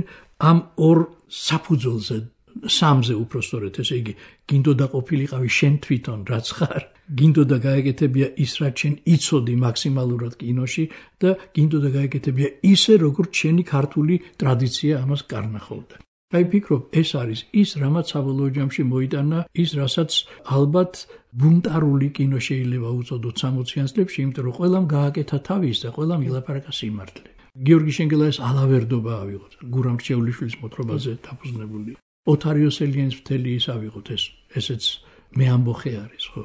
ამ ორ საფუძველზე, სამზე უფრო სწორედ, ესე იგი, გინდოდა ყოფილიყავი შენ თვითონ რაც ხარ, გინდოდა გაეკეთებია ის, რაც შენ იცოდი მაქსიმალურად კინოში და გინდოდა გაეკეთებია ისე, როგორც შენი ქართული ტრადიცია ამას კარნახობდა. აი ვფიქრობ, ეს არის ის, რამაც საბოლოო ჯამში მოიტანა ის, რასაც ალბათ ბუნტარული კინო შეიძლება უწოდოთ სამოციან წლებში, იმიტომ რომ ყველამ გააკეთა თავის და ყველამ ილაპარაკა სიმართლე. გიორგი შენგელაის ალავერდობა ავიღოთ, გურამ რჩეულიშვილის მოთხრობაზე დაფუძნებული. ოთარ იოსელიანის მთელი ის ავიღოთ, ეს ესეც მე ამბოხე არის, ხო?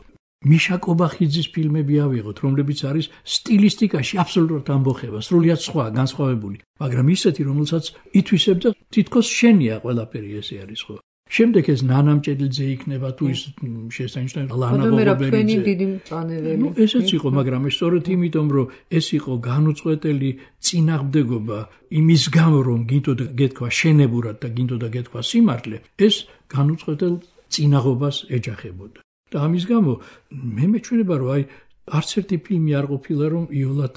მიშა კობახიძის ფილმები ავიღოთ, რომლებიც არის სტილისტიკაში აბსოლუტურად ამბოხება, სრულიად სხვა, განსხვავებული, მაგრამ ისეთი, რომელსაც ითვისებდა თითქოს შენია ყველაფერი ესე არის, ხო? შემდეგ ეს ნანამჭედლიძე იქნება თუ ის შესანიშნავი ლანა ბობერიძე. დიდი მწვანეველი. ნუ ესეც იყო, მაგრამ ეს სწორედ იმიტომ, რომ ეს იყო განუწყვეტელი წინააღმდეგობა იმის გამო, რომ გინდოდა გეთქვა შენებურად და გინდოდა გეთქვა სიმართლე, ეს განუწყვეტელ წინაღობას ეჯახებოდა. და ამის გამო მე მეჩვენება, რომ აი არც ერთი ფილმი არ ყოფილა, რომ იოლად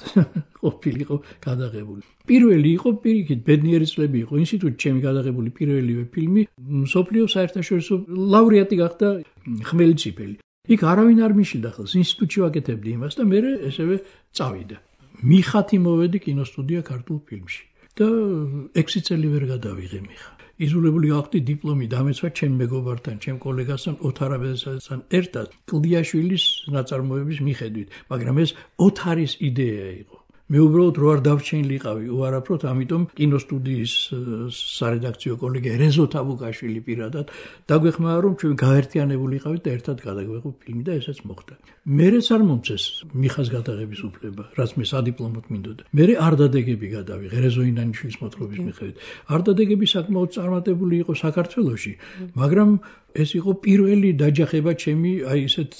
ყოფილიყო გადაღებული. პირველი იყო პირიქით, ბედნიერი წლები იყო ინსტიტუტში ჩემი გადაღებული პირველივე ფილმი, მსოფლიო საერთაშორისო ლაურეატი გახდა ხმელიციფელი. იქ არავინ არ მიშილდა ხელს, ინსტიტუტში ვაკეთებდი იმას და მე ესევე წავიდა. მიხათი მოვედი კინოსტუდია ქართულ ფილმში და ექვსი წელი ვერ გადავიღე მიხა. იზოლებული გავხდი დიპლომი დამეცვა ჩემ მეგობართან, ჩემ კოლეგასთან, ოთარ აბესაძესთან ერთად კლდიაშვილის ნაწარმოების მიხედვით, მაგრამ ეს ოთარის იდეა იყო. მე უბრალოდ რო არ დავჩენილიყავი უარაფროდ, ამიტომ კინოსტუდიის სარედაქციო კოლეგია რეზო თაბუკაშვილი პირადად დაგვეხმარა, რომ ჩვენ გაერთიანებულიყავით და ერთად გადაგვეღო ფილმი და ესეც მოხდა. მერეც არ მომწეს მიხას გადაღების უფლება, რაც მე სადიპლომოდ მინდოდა. მერე არ დადეგები გადავიღე რეზო ინანიშვილის მოთხრობის მიხედვით. არ დადეგები საკმაოდ წარმატებული იყო საქართველოში, მაგრამ ეს იყო პირველი დაჯახება ჩემი, აი ესეთ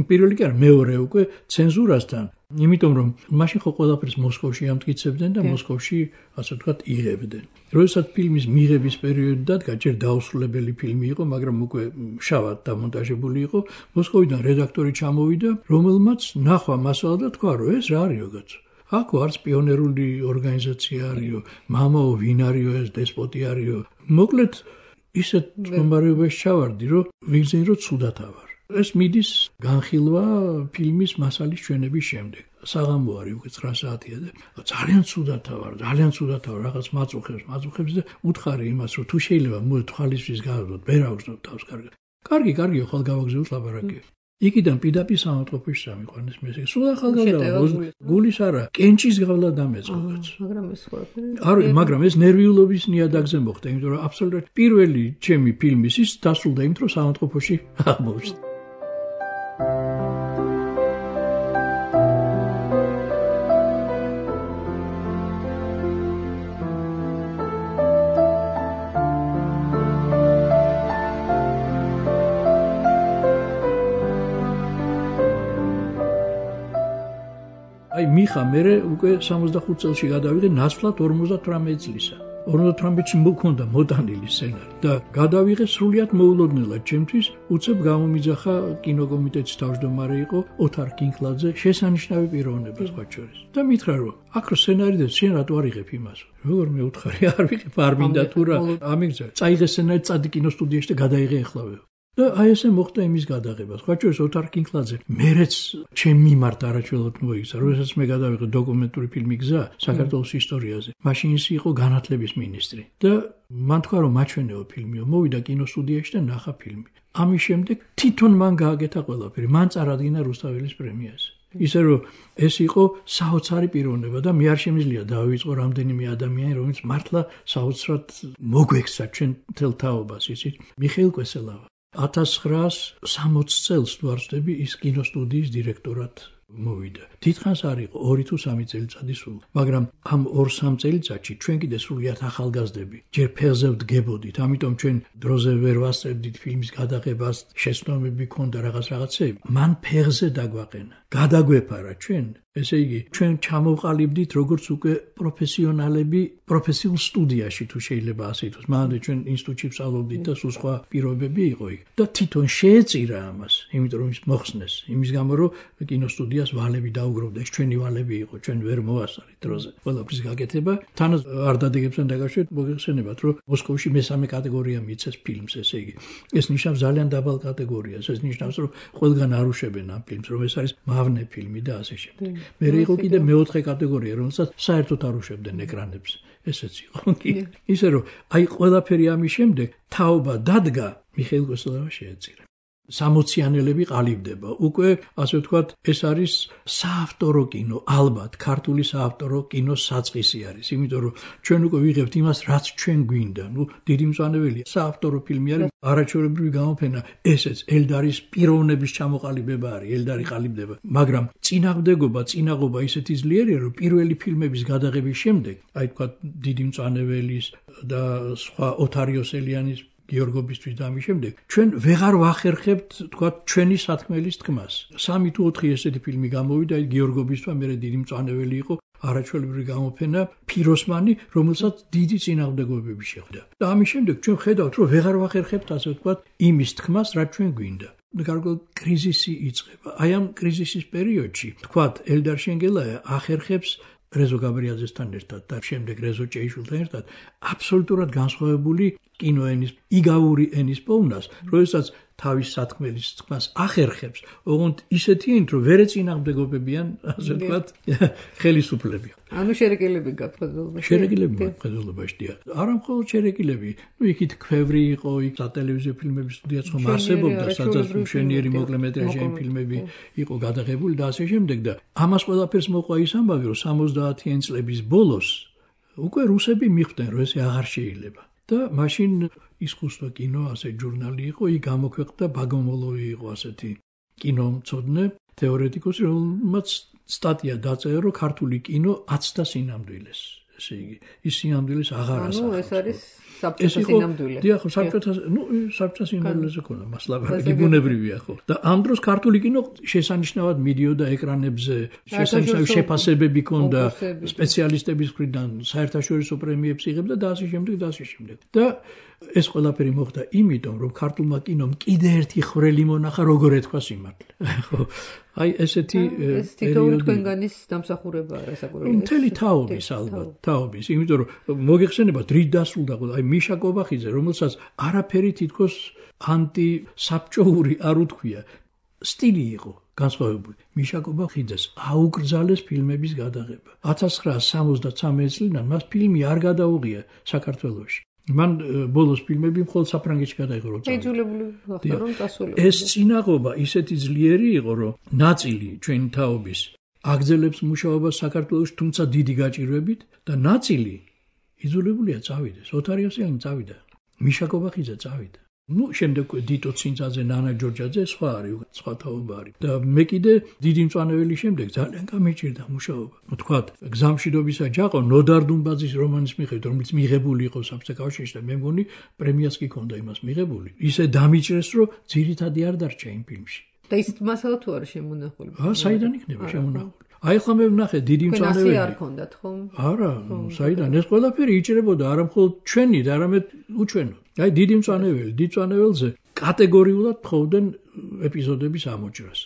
პირველი კი არა, მეორე უკვე ცენზურასთან. იმიტომ რომ მაშინ ხო ყველაფერს მოსკოვში ამტკიცებდნენ და მოსკოვში ასე ვთქვათ იღებდნენ. როდესაც ფილმის მიღების პერიოდი დადგა, ჯერ დაუსრულებელი ფილმი იყო, მაგრამ უკვე შავად დამონტაჟებული იყო, მოსკოვიდან რედაქტორი ჩამოვიდა, რომელმაც ნახვა მასალა და თქვა, რომ ეს რა არისო კაცო. აქ არც პიონერული ორგანიზაცია არისო, მამაო ვინ არისო ეს დესპოტი არისო. მოკლედ ისეთ მდგომარეობაში ჩავარდი, რომ ვიგზინი რომ ცუდად ავარ. ეს მიდის განხილვა ფილმის მასალის ჩვენების შემდეგ. საღამო არის უკვე ცხრა საათია და ძალიან ცუდად ავარ, ძალიან ცუდად ავარ, რაღაც მაწუხებს, მაწუხებს და უთხარი იმას, რომ თუ შეიძლება მოე თვალისთვის გავდოთ, ვერ ავგზნოთ თავს კარგად. კარგი, კარგიო, ხალ გავაგზავნოთ ლაბორატორიაში. იქიდან პიდაპი სამავთყოფოში სამიყვანეს მესე. სულ ახალგაზრდა გულის არა, კენჭის გავლა დამეწყოთ. მაგრამ ეს ყველაფერი არა, მაგრამ ეს ნერვიულობის ნიადაგზე მოხდა, იმიტომ რომ აბსოლუტურად პირველი ჩემი ფილმის ის დასრულდა იმით, რომ სამავთყოფოში აღმოჩნდა. აი მიხა მე უკვე სამოცდახუთ წელში გადავიღე ნაცვლად ორმოცდათვრამეტი წლისა. ორმოცდათვრამეტში მქონდა მოტანილი სცენარი და გადავიღე სრულიად მოულოდნელად ჩემთვის, უცებ გამომიძახა კინოკომიტეტის თავმჯდომარე იყო ოთარ კინკლაძე, შესანიშნავი პიროვნება სხვა შორის. და მითხრა რომ აქ რო სცენარი და შენ რატო არ იღებ იმას? როგორ მე უთხარი არ ვიღებ, არ მინდა თუ რა ამიგზა. წაიღე სცენარი, წადი კინოსტუდიაში და გადაიღე ახლავე. და აი ესე მოხდა იმის გადაღება. სხვა შორის ოთარ კინკლაძე მერეც ჩემ მიმართ არაჩვეულოდ მოიქცა, როდესაც მე გადავიღე დოკუმენტური ფილმი გზა საქართველოს ისტორიაზე. მაშინ ის იყო განათლების მინისტრი და მან თქვა რომ მაჩვენეო ფილმიო, მოვიდა კინოსტუდიაში და ნახა ფილმი. ამის შემდეგ თვითონ მან გააკეთა ყველაფერი, მან წარადგინა რუსთაველის პრემიაზე. ისე რომ ეს იყო საოცარი პიროვნება და მე არ შემიძლია დავიწყო რამდენიმე ადამიანი, რომელიც მართლა საოცრად მოგვექცა ჩვენ მთელ თაობას, იცით? მიხეილ კვესელავა ათას ცხრაას სამოცს წელს თუ არ ვცდები ის კინოსტუდიის დირექტორად მოვიდა. თითქოს არ იყო ორი თუ სამი წელიწადი სულ, მაგრამ ამ ორ-სამ წელიწადში ჩვენ კიდე სრულიად ახალგაზრდები ჯერ ფეხზე ვდგებოდით, ამიტომ ჩვენ დროზე ვერ ვასწრებდით ფილმის გადაღებას, შეცდომები ქონდა რაღაც რაღაცები. მან ფეხზე დაგვაყენა, გადაგვეფარა ჩვენ, ესე იგი ჩვენ ჩამოვყალიბდით როგორც უკვე პროფესიონალები პროფესიულ სტუდიაში თუ შეიძლება ასე ითქვას. მანამდე ჩვენ ინსტიტუტში ვსწავლობდით და სულ სხვა პირობები იყო იქ. და თვითონ შეეწირა ამას, იმიტომ რომ ის მოხსნეს, იმის გამო რომ კინოსტუდიას ვალები დაუგროვდა, ეს ჩვენი ვალები იყო, ჩვენ ვერ მოვასწარით დროზე. ყველაფრის გაკეთება, თან არ დადეგებთან დაკავშირებით მოგეხსენებათ, რომ მოსკოვში მესამე კატეგორია მიცეს ფილმს, ესე იგი. ეს ნიშნავს ძალიან დაბალ კატეგორიას, ეს ნიშნავს, რომ ყველგან არ უშვებენ ამ ფილმს, რომ ეს არის მავნე ფილმი და ასე შემდეგ. მე იყო კიდე მეოთხე კატეგორია, რომელსაც საერთოდ არ უშვებდნენ ეკრანებზე. ესეც იყო კი. ისე რომ აი ყველაფერი ამის შემდეგ თაობა დადგა, მიხეილ კვესელავა შეეწირა. სამოციანელები ყალიბდება. უკვე ასე ვთქვათ, ეს არის საავტორო კინო, ალბათ ქართული საავტორო კინოს საწყისი არის, იმიტომ რომ ჩვენ უკვე ვიღებთ იმას, რაც ჩვენ გვინდა. ნუ დიდი მწვანეველია. საავტორო ფილმი არის, არაჩვეულებრივი გამოფენა, ესეც ელდარის პიროვნების ჩამოყალიბება არის, ელდარი ყალიბდება. მაგრამ წინააღმდეგობა, წინაღობა ისეთი ძლიერია, რომ პირველი ფილმების გადაღების შემდეგ, აი ვთქვათ, დიდი მწვანეველის და სხვა ოთარ იოსელიანის გიორგობისთვის და ამის შემდეგ ჩვენ ვეღარ ვახერხებთ თქვა ჩვენი სათქმელის თქმას. სამი თუ ოთხი ესეთი ფილმი გამოვიდა, აი გიორგობისთვის მერე დიდი მწვანეველი იყო, არაჩვეულებრივი გამოფენა, ფიროსმანი, რომელსაც დიდი წინააღმდეგობები შეხვდა. და ამის შემდეგ ჩვენ ხედავთ, რომ ვეღარ ვახერხებთ ასე ვთქვათ იმის თქმას, რაც ჩვენ გვინდა. გარკვეული კრიზისი იწყება. აი ამ კრიზისის პერიოდში თქვათ ელდარ შენგელაია ახერხებს რეზო გაბრიაძესთან ერთად და შემდეგ რეზო ჭეიშვილთან ერთად აბსოლუტურად განსხვავებული კინოენის, იგავური ენის პოვნას, როდესაც თავის სათქმელის თქმას ახერხებს, ოღონდ ისეთიენ, რომ ვერ ეწინააღმდეგობებიან, ასე ვთქვათ, ხელისუფლები. ანუ შერეკილები გაქვთ მხედველობაში. შერეკილები მხედველობაში დიახ. არა მხოლოდ შერეკილები, ну იქით ქვევრი იყო, იქ სატელევიზიო ფილმების სტუდიაც ხომ არსებობდა, სადაც მშვენიერი მოკლემეტრაჟიანი ფილმები იყო გადაღებული და ასე შემდეგ და ამას ყველაფერს მოყვა ის ამბავი, რომ სამოცდაათიან წლების ბოლოს უკვე რუსები მიხვდნენ, რომ ეს აღარ შეიძლება. და მაშინ ისკუსტვა კინო, ასე ჟურნალი იყო, იქ გამოქვეყნდა ბაგომოლოვი იყო ასეთი კინომცოდნე, თეორეტიკოსი, რომელმაც სტატია დაწერა, რომ ქართული კინო აცდა სინამდვილეს. ესე იგი, ის სინამდვილეს აღარ ასახავს. ანუ ეს არის საბჭოთა სინამდვილე. დიახ, საბჭოთა, ну, საბჭოთა სინამდვილეზე ქონდა მას ლაბარაკი, ბუნებრივია ხო. და ამ დროს ქართული კინო შესანიშნავად მიდიოდა ეკრანებზე, შესანიშნავი შეფასებები ქონდა სპეციალისტების მხრიდან, საერთაშორისო პრემიებს იღებდა და ასე შემდეგ და ასე შემდეგ. და ეს ყველაფერი მოხდა იმიტომ, რომ ქართულმა კინომ კიდე ერთი ხვრელი მონახა, როგორ ეთქვა სიმართლე. ხო. აი ესეთი ეს თითოეული თქვენგანის დამსახურებაა რასაკვირველია. მთელი თაობის ალბათ, თაობის, იმიტომ რომ მოგეხსენება დრით დასრულდა ყველა, აი მიშა კობახიძე, რომელსაც არაფერი თითქოს ანტისაბჭოური არ უთქვია, სტილი იყო განსხვავებული. მიშა კობახიძეს აუკრძალეს ფილმების გადაღება. ათას ცხრაასი სამოცდათრამეტი წლიდან მას ფილმი არ გადაუღია საქართველოში. მან ბოლოს ფილმები მხოლოდ საფრანგეთში გადაიღო რომ ეძულებული ხდა რომ წასულიყო. ეს წინაღობა ისეთი ძლიერი იყო, რომ ნაწილი ჩვენი თაობის აგრძელებს მუშაობას საქართველოში, თუმცა დიდი გაჭირვებით და ნაწილი იძულებულია წავიდეს. ოთარიოსიანი წავიდა. მიშა კობახიძე წავიდა. ну, შემდეგ დიტო ცინცაძე, ნანა ჯორჯაძე, სხვა არის, სხვა თაობა არის. და მე კიდე დიდი მწვანეველი შემდეგ ძალიან გამიჭირდა მუშაობა. თქვათ, გზამშვიდობისა ჯაყო ნოდარ დუმბაძის რომანის მიხედვით, რომელიც მიღებული იყო საბჭოთა კავშირში და მე მგონი პრემიას კი ჰქონდა იმას მიღებული. ისე დამიჭრეს, რომ ძირითადი არ დარჩა იმ ფილმში. და ის მასალა თუ არის შემონახული? აა, საიდან იქნება შემონახული? აი ხომ მე ვნახე დიდი მწვანეველი. ფინანსი არ ქონდათ ხომ? არა, საიდან ეს ყველაფერი იჭრებოდა არა მხოლოდ ჩვენი და არამედ უჩვენო. აი დიდი მწვანეველი, დიდ მწვანეველზე კატეგორიულად თხოვდნენ ეპიზოდების ამოჭრას.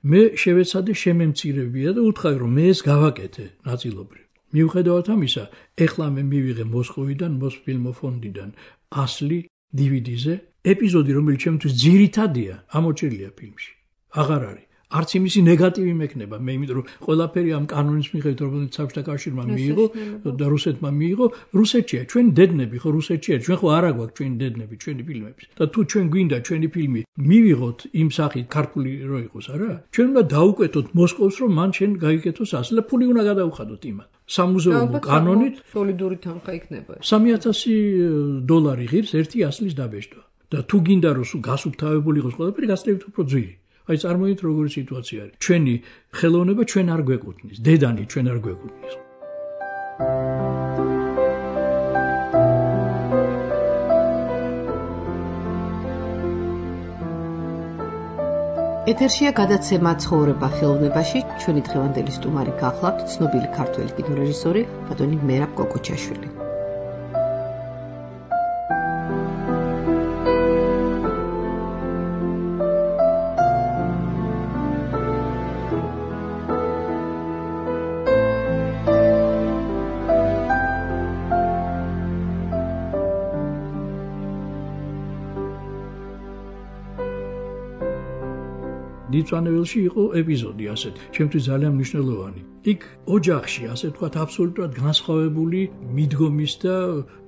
მე შევეცადე შემემცირებია და უთხრა რომ მე ეს გავაკეთე ნაწილობრივ. მიუხედავად ამისა, ეხლა მე მივიღე მოსკოვიდან, მოსფილმოფონდიდან ასლი დი ვი დი-ზე ეპიზოდი, რომელიც ჩემთვის ძირითადია, ამოჭრილია ფილმში. აღარ არის. არც იმისი ნეგატივი მექნება, მე იმიტომ რომ ყველაფერი ამ კანონის მიხედვით, რომელიც საბჭოთა კავშირმა მიიღო და რუსეთმა მიიღო, რუსეთშია, ჩვენი დედნები ხო რუსეთშია, ჩვენ ხო არა გვაქვს ჩვენი დედნები, ჩვენი ფილმები. და თუ ჩვენ გვინდა ჩვენი ფილმი მივიღოთ იმ სახით ქართული რო იყოს, არა? ჩვენ უნდა დაუკვეთოთ მოსკოვს, რომ მან შენ გაიგეთოს ასლი და ფული უნდა გადაუხადოთ იმათ. სამუზეუმო კანონით სოლიდური თანხა იქნება. სამი ათასი დოლარი ღირს ერთი ასლის დაბეჭდვა. და თუ გინდა რომ გასუფთავებული იყოს ყველაფერი, გასწრებით უფრო ძვირი. აი წარმოიდგინეთ როგორი სიტუაცია არის. ჩვენი ხელოვნება ჩვენ არ გვეკუთვნის, დედანი ჩვენ არ გვეკუთვნის. ეთერშია გადაცემა ცხოვრება ხელოვნებაში. ჩვენი დღევანდელი სტუმარი გახლავთ ცნობილი ქართველი კინორეჟისორი ბატონი მერაბ კოკოჩაშვილი. დიდწვანეველში იყო ეპიზოდი ასეთი, ჩემთვის ძალიან მნიშვნელოვანი. იქ ოჯახში, ასე ვთქვათ, აბსოლუტურად განსხვავებული მიდგომის და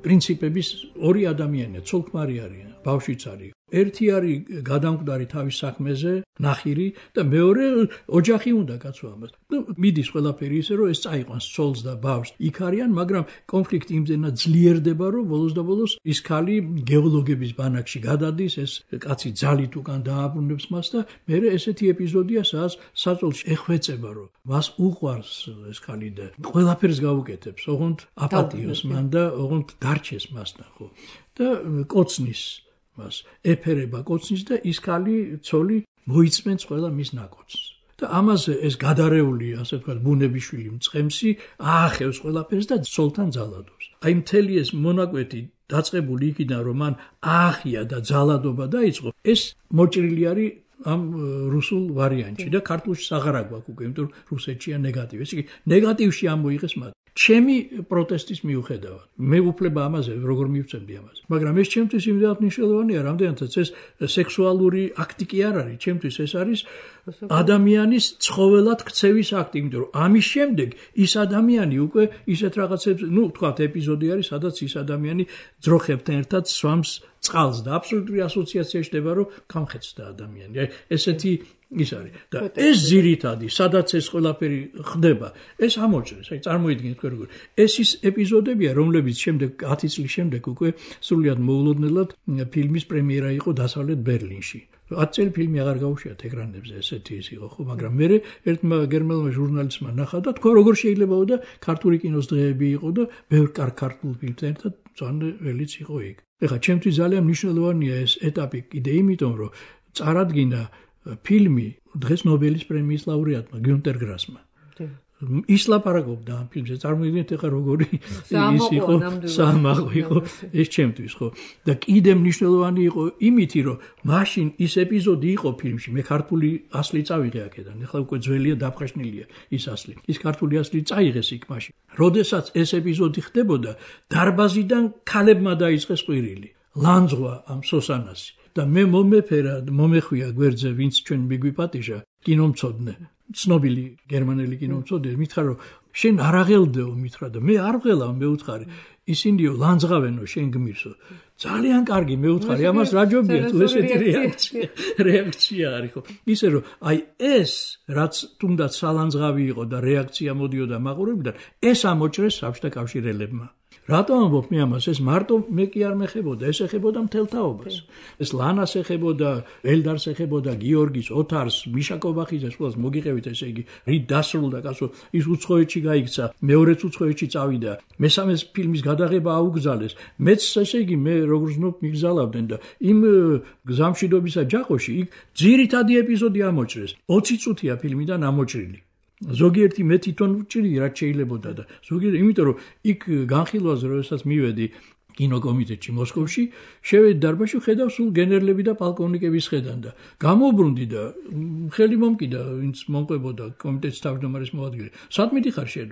პრინციპების ორი ადამიანია, ცოლ-ქმარი არიან, ბავშვიც არის. ერთი არის გადამკვდარი თავის საქმეზე, ნახირი და მეორე ოჯახი უნდა კაცო ამას. ნუ მიდის ყველაფერი ისე რომ ეს წაიყვანს ცოლს და ბავშვს. იქ არიან, მაგრამ კონფლიქტი იმდენად ძლიერდება, რომ ბოლოს და ბოლოს ის ქალი გეოლოგების ბანაკში გადადის, ეს კაცი ძალით უკან დააბრუნებს მას და მე ესეთი ეპიზოდია, სადაც საწოლში ეხვეწება, რომ მას უყვარს ეს ქალი და ყველაფერს გაუკეთებს, ოღონდ აპატიოს მან და ოღონდ დარჩეს მასთან, ხო? და კოცნის მას ეფერება კოცნის და ის ქალი ცოლი მოიწმენს ყველა მის ნაკოცს. და ამაზე ეს გადარეული, ასე ვთქვათ, ბუნებიშვილი მწყემსი აახევს ყველაფერს და ცოლთან ძალადობს. აი მთელი ეს მონაკვეთი დაწყებული იქიდან, რომ მან აახია და ძალადობა დაიწყო, ეს მოჭრილი არის ამ რუსულ ვარიანტში და ქართულში აღარა გვაქვს უკვე, იმიტომ რომ რუსეთშია ნეგატივი. ესე იგი, ნეგატივში ამოიღეს მათ. ჩემი პროტესტის მიუხედავად. მე უფლება ამაზე როგორ მივწევდი ამაზე. მაგრამ ეს ჩემთვის იმდენად მნიშვნელოვანია, რამდენადაც ეს სექსუალური აქტი კი არ არის, ჩემთვის ეს არის ადამიანის ცხოველად ქცევის აქტი, იმიტომ რომ ამის შემდეგ ის ადამიანი უკვე ისეთ რაღაცებს, ну, თქვათ, ეპიზოდი არის, სადაც ის ადამიანი ძროხებთან ერთად სვამს წყალს და აბსოლუტური ასოციაცია ხდება, რომ გამხეცდა ადამიანი. აი, ესეთი ის არის და ეს ძირითადი, სადაც ეს ყველაფერი ხდება, ეს ამოჭრეს. აი, წარმოიდგინეთ თქვენ როგორ. ეს ის ეპიზოდებია, რომლებიც შემდეგ ათი წლის შემდეგ უკვე სრულიად მოულოდნელად ფილმის პრემიერა იყო დასავლეთ ბერლინში. ათი წელი ფილმი აღარ გაუშვიათ ეკრანებზე, ესეთი ის იყო, ხო, მაგრამ მე ერთმა გერმანულმა ჟურნალისტმა ნახა და თქვა როგორ შეიძლებაო და ქართული კინოს დღეები იყო და ბევრ ქართულ ფილმთან ერთად წანველიც იყო იქ. ეხლა ჩემთვის ძალიან მნიშვნელოვანია ეს ეტაპი კიდე იმიტომ, რომ წარადგინა ფილმი დღეს ნობელის პრემიის ლაურეატმა გიუნტერ გრასმა. ის ლაპარაკობდა ამ ფილმზე, წარმოიდგინეთ ეხლა როგორი ის იყო, საამაყო იყო ეს ჩემთვის, ხო? და კიდე მნიშვნელოვანი იყო იმითი, რომ მაშინ ის ეპიზოდი იყო ფილმში, მე ქართული ასლი წავიღე აქედან, ეხლა უკვე ძველია დაფხაშნილია ის ასლი. ის ქართული ასლი წაიღეს იქ მაშინ. როდესაც ეს ეპიზოდი ხდებოდა, დარბაზიდან ქალებმა დაიწყეს ყვირილი. ლანძღვა ამ სოსანასი. და მე მომეფერა, მომეხვია გვერდზე, ვინც ჩვენ მიგვიპატიჟა, კინომცოდნე, ცნობილი გერმანელი კინომცოდნე, მითხრა რომ შენ არ აღელდეო, მითხრა და მე არ ვღელავ, მე უთხარი, ისინიო ლანძღავენო, შენ გმირსო. ძალიან კარგი, მე უთხარი, ამას რა ჯობია თუ ესეთი რეაქცია, რეაქცია არის ხო? ისე რომ აი ეს, რაც თუნდაც სალანძღავი იყო და რეაქცია მოდიოდა მაყურებელიდან, ეს ამოჭრეს საბჭოთა კავშირელებმა. რატომ ამბობ მე ამას? ეს მარტო მე კი არ მეხებოდა, ეს ეხებოდა მთელ თაობას. ეს ლანას ეხებოდა, ელდარს ეხებოდა, გიორგის, ოთარს, მიშა კობახიძეს, ყველას მოგიყევით, ესე იგი, რით დასრულდა კაცო, ის უცხოეთში გაიქცა, მეორეც უცხოეთში წავიდა, მესამეს ფილმის გადაღება აუგზალეს. მეც ესე იგი მე როგორც ნუ მიგზალავდნენ და იმ გზამშვიდობისა ჯაყოში იქ ძირითადი ეპიზოდი ამოჭრეს. ოცი წუთია ფილმიდან ამოჭრილი. ზოგიერთი მე თვითონ ვჭირდი რაც შეიძლებოდა და ზოგიერთი იმიტომ რომ იქ განხილვაზე როდესაც მივედი კინოკომიტეტში მოსკოვში შევედი დარბაზში ხედავ სულ გენერლები და პოლკოვნიკები სხედან და გამოვბრუნდი და ხელი მომკიდა ვინც მომყვებოდა კომიტეტის თავმჯდომარის მოადგილე სად მიდიხარ შენ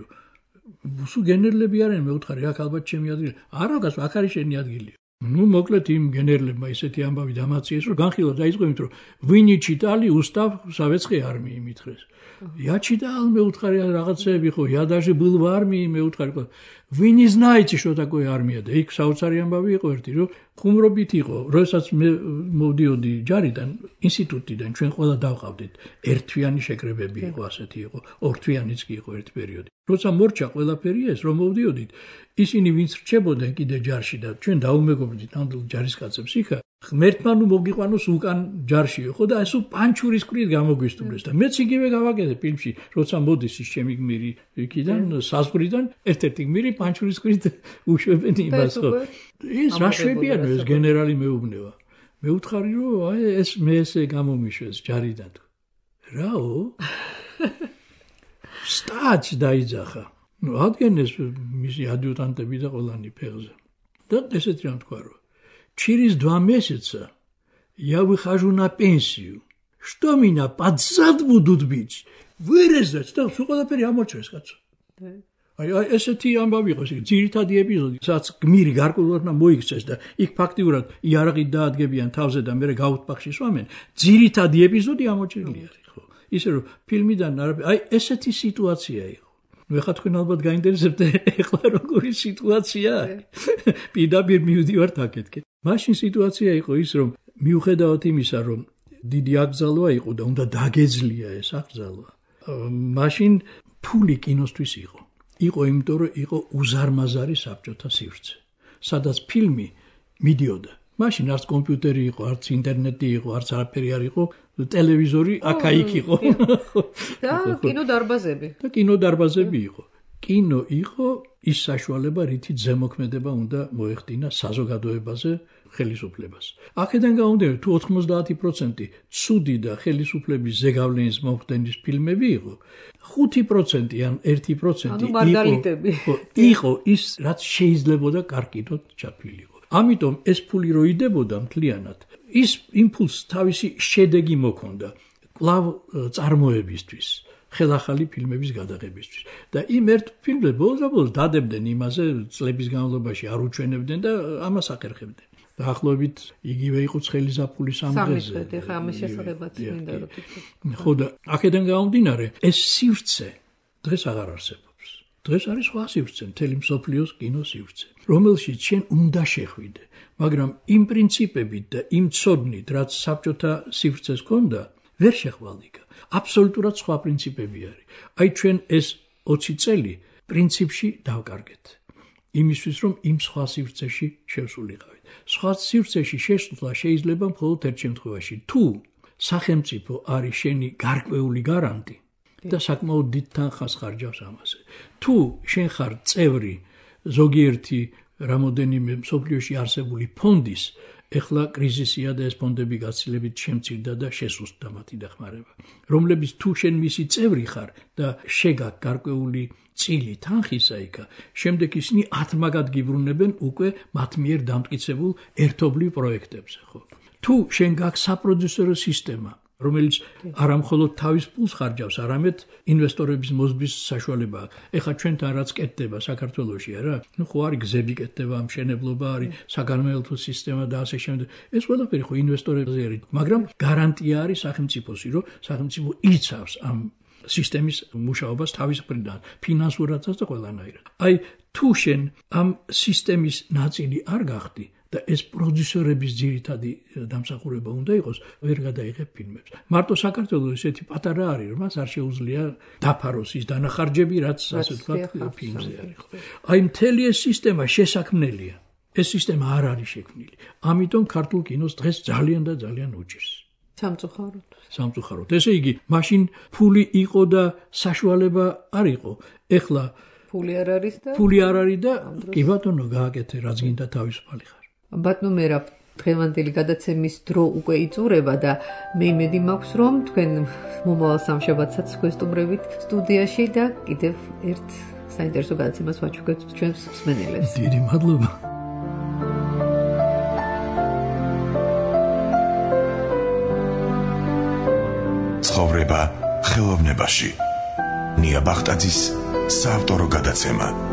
სულ გენერლები არიან მე ვუთხარი აქ ალბათ ჩემი ადგილი არა გას აქ არის შენი ადგილი ну მოკლედ იმ გენერლებმა ისეთი ამბავი დამაციეს რომ განხილვა დაიწყო იმიტომ რომ ვინი ჩიტალი უსტავ სავეცკი არმიი მითხრეს Я читал, мы уткали რაღაცები ხო, я даже был в армии, мы уткали. Вы не знаете, что такое армия. და იქ საოცარი ამბავი იყო ერთი, რომ ხუმრობით იყო, როდესაც მე მოვდიოდი ჯარიდან, ინსტიტუტიდან, ჩვენ ყველა დავყავდით. ერთთვიანი შეკრებები იყო, ასეთი იყო, ორთვიანიც კი იყო ერთი პერიოდი. როცა მორჩა ყველაფერი ეს, რომ მოვდიოდით, ისინი ვინც რჩებოდნენ კიდე ჯარში და ჩვენ დაუმეგობრდით ნამდვილ ჯარისკაცებს იქა, ღმერთმა ნუ მოგიყვანოს უკან ჯარშიო, ხო და ეს პანჩურის კრით გამოგვისტუმრეს და მეც იგივე გავაკეთე ფილმში, როცა მოდის ის ჩემი გმირი იქიდან, საზღვრიდან, ერთ-ერთი გმირი პანჩურის კრით უშვებენ იმას, ხო. ეს რა შვებიანო ეს გენერალი მეუბნება. მე უთხარი რომ აი ეს მე ესე გამომიშვეს ჯარიდან. რაო? სტაც დაიძახა. ну ადგენეს მისი ადიუტანტები და ყველანი ფეხზე. და ესეთი რამ თქვა რომ через два месяца я выхожу на пенсию. Что меня под зад будут бить? Вырезать, да, всё ყველაფერი ამოჭრეს კაცო. აი აი ესეთი ამბავი იყო, ეს ძირითადი ეპიზოდი, სადაც გმირი გარკვეულადმა მოიქცეს და იქ ფაქტიურად იარაღით დაადგებიან თავზე და მერე გაუთბახში სვამენ. ძირითადი ეპიზოდი ამოჭრილი არის, ხო? ისე რომ ფილმიდან აი ესეთი სიტუაცია იყო. ну ეხლა თქვენ ალბათ გაინტერესებთ ეხლა როგორი სიტუაცია არის. პირდაპირ მივდივართ აქეთკენ. მაშინ სიტუაცია იყო ის რომ მიუხედავად იმისა რომ დიდი აკრძალვა იყო და უნდა დაგეძლია ეს აკრძალვა. მაშინ ფული კინოსთვის იყო. იყო იმიტომ რომ იყო უზარმაზარი საბჭოთა სივრცე. სადაც ფილმი მიდიოდა. მაშინ არც კომპიუტერი იყო, არც ინტერნეტი იყო, არც არაფერი არ იყო, ტელევიზორი აქა-იქ იყო. და კინოდარბაზები. და კინოდარბაზები იყო. კინო იყო ის საშუალება, რითიც ზემოქმედება უნდა მოეხდინა საზოგადოებაზე ხელისუფლებას. აქედან გამომდინარე, თუ ოთხმოცდაათი პროცენტი ცუდი და ხელისუფლების ზეგავლენის მომხდენის ფილმები იყო, ხუთი პროცენტი ან ერთი პროცენტი იყო, იყო ის, რაც შეიძლებოდა კარგით ჩაფილიყო. ამიტომ ეს ფული რო იდებოდა მთლიანად, ის იმპულს თავისი შედეგი მოქონდა კვლავ წარმოებისთვის. ხელახალი ფილმების გადაღებისთვის. და იმ ერთ ფილმზე ბოლოს დადებდნენ იმაზე, წლების განმავლობაში არ უჩვენებდნენ და ამას ახერხებდნენ. დაახლოებით იგივე იყო ცხელი ზაფხულის ამ დღეზე. სამი ხე, ხა ამის შესახებაც მინდა რომ თქვი. ხო და აქედან გამომდინარე, ეს სივრცე დღეს აღარ არსებობს. დღეს არის სხვა სივრცე, მთელი მსოფლიოს კინო სივრცე, რომელშიც შენ უნდა შეხვიდე, მაგრამ იმ პრინციპებით და იმ ცოდნით, რაც საბჭოთა სივრცეს ჰქონდა, ვერ შეხვალიკა. აბსოლუტურად სხვა პრინციპები არის. აი ჩვენ ეს ოცი წელი პრინციპში დავკარგეთ. იმისთვის რომ იმ სხვა სივრცეში შევსულიყავით. სხვა სივრცეში შესვლა შეიძლება მხოლოდ ერთ შემთხვევაში, თუ სახელმწიფო არის შენი გარკვეული გარანტი და საკმაოდ დიდ თანხას ხარჯავს ამაზე. თუ შენ ხარ წევრი ზოგიერთი რამოდენიმე მსოფლიოში არსებული ფონდის, ეხლა კრიზისია და ეს ფონდები გაცილებით შემცირდა და შესუსტდა მათი დახმარება, რომლებიც თუ შენ მისი წევრი ხარ და შეგაკ გარკვეული წილი თანხისა იქა, შემდეგ ისინი ათმაგად გიბრუნებენ უკვე მათ მიერ დამტკიცებულ ერთობლივ პროექტებზე, ხო? თუ შენ გაქვს საპროდიუსერო სისტემა, რომელიც არა მხოლოდ თავის პულს ხარჯავს, არამედ ინვესტორების მოზბის საშუალება. ეხლა ჩვენთან რაც კეთდება საქართველოში, არა? ნუ ხო არის გზები კეთდება, მშენებლობა არის, საგანმანათლებლო სისტემა და ასე შემდეგ. ეს ყველაფერი ხო ინვესტორებზე არის, მაგრამ გარანტია არის სახელმწიფოსი, რომ სახელმწიფო იცავს ამ სისტემის მუშაობას თავის მხრიდან, ფინანსურადაც და ყველანაირად. აი, თუ შენ ამ სისტემის ნაწილი არ გახდი და ეს პროდიუსერების ძირითადი დამსახურება უნდა იყოს, ვერ გადაიღებ ფილმებს. მარტო საქართველოს ესეთი პატარა არის, რომ მას არ შეუძლია დაფაროს ის დანახარჯები, რაც ასე ვთქვათ, ფილმზე არის. აი, მთელი ეს სისტემა შესაქმნელია. ეს სისტემა არ არის შექმნილი. ამიტომ ქართულ კინოს დღეს ძალიან და ძალიან უჭირს. სამწუხაროდ. სამწუხაროდ. ესე იგი, მაშინ ფული იყო და საშუალება არ იყო. ეხლა ფული არ არის და ფული არ არის და კი ბატონო გააკეთე, რაც გინდა თავისუფალი ხარ. ბატონო მერაბ, დღევანდელი გადაცემის დრო უკვე იწურება და მე იმედი მაქვს, რომ თქვენ მომავალ სამშაბათსაც გვესტუმრებით სტუდიაში და კიდევ ერთ საინტერესო გადაცემას ვაჩუქებთ ჩვენს მსმენელებს. დიდი მადლობა. ცხოვრება ხელოვნებაში. ნია ბახტაძის საავტორო გადაცემა.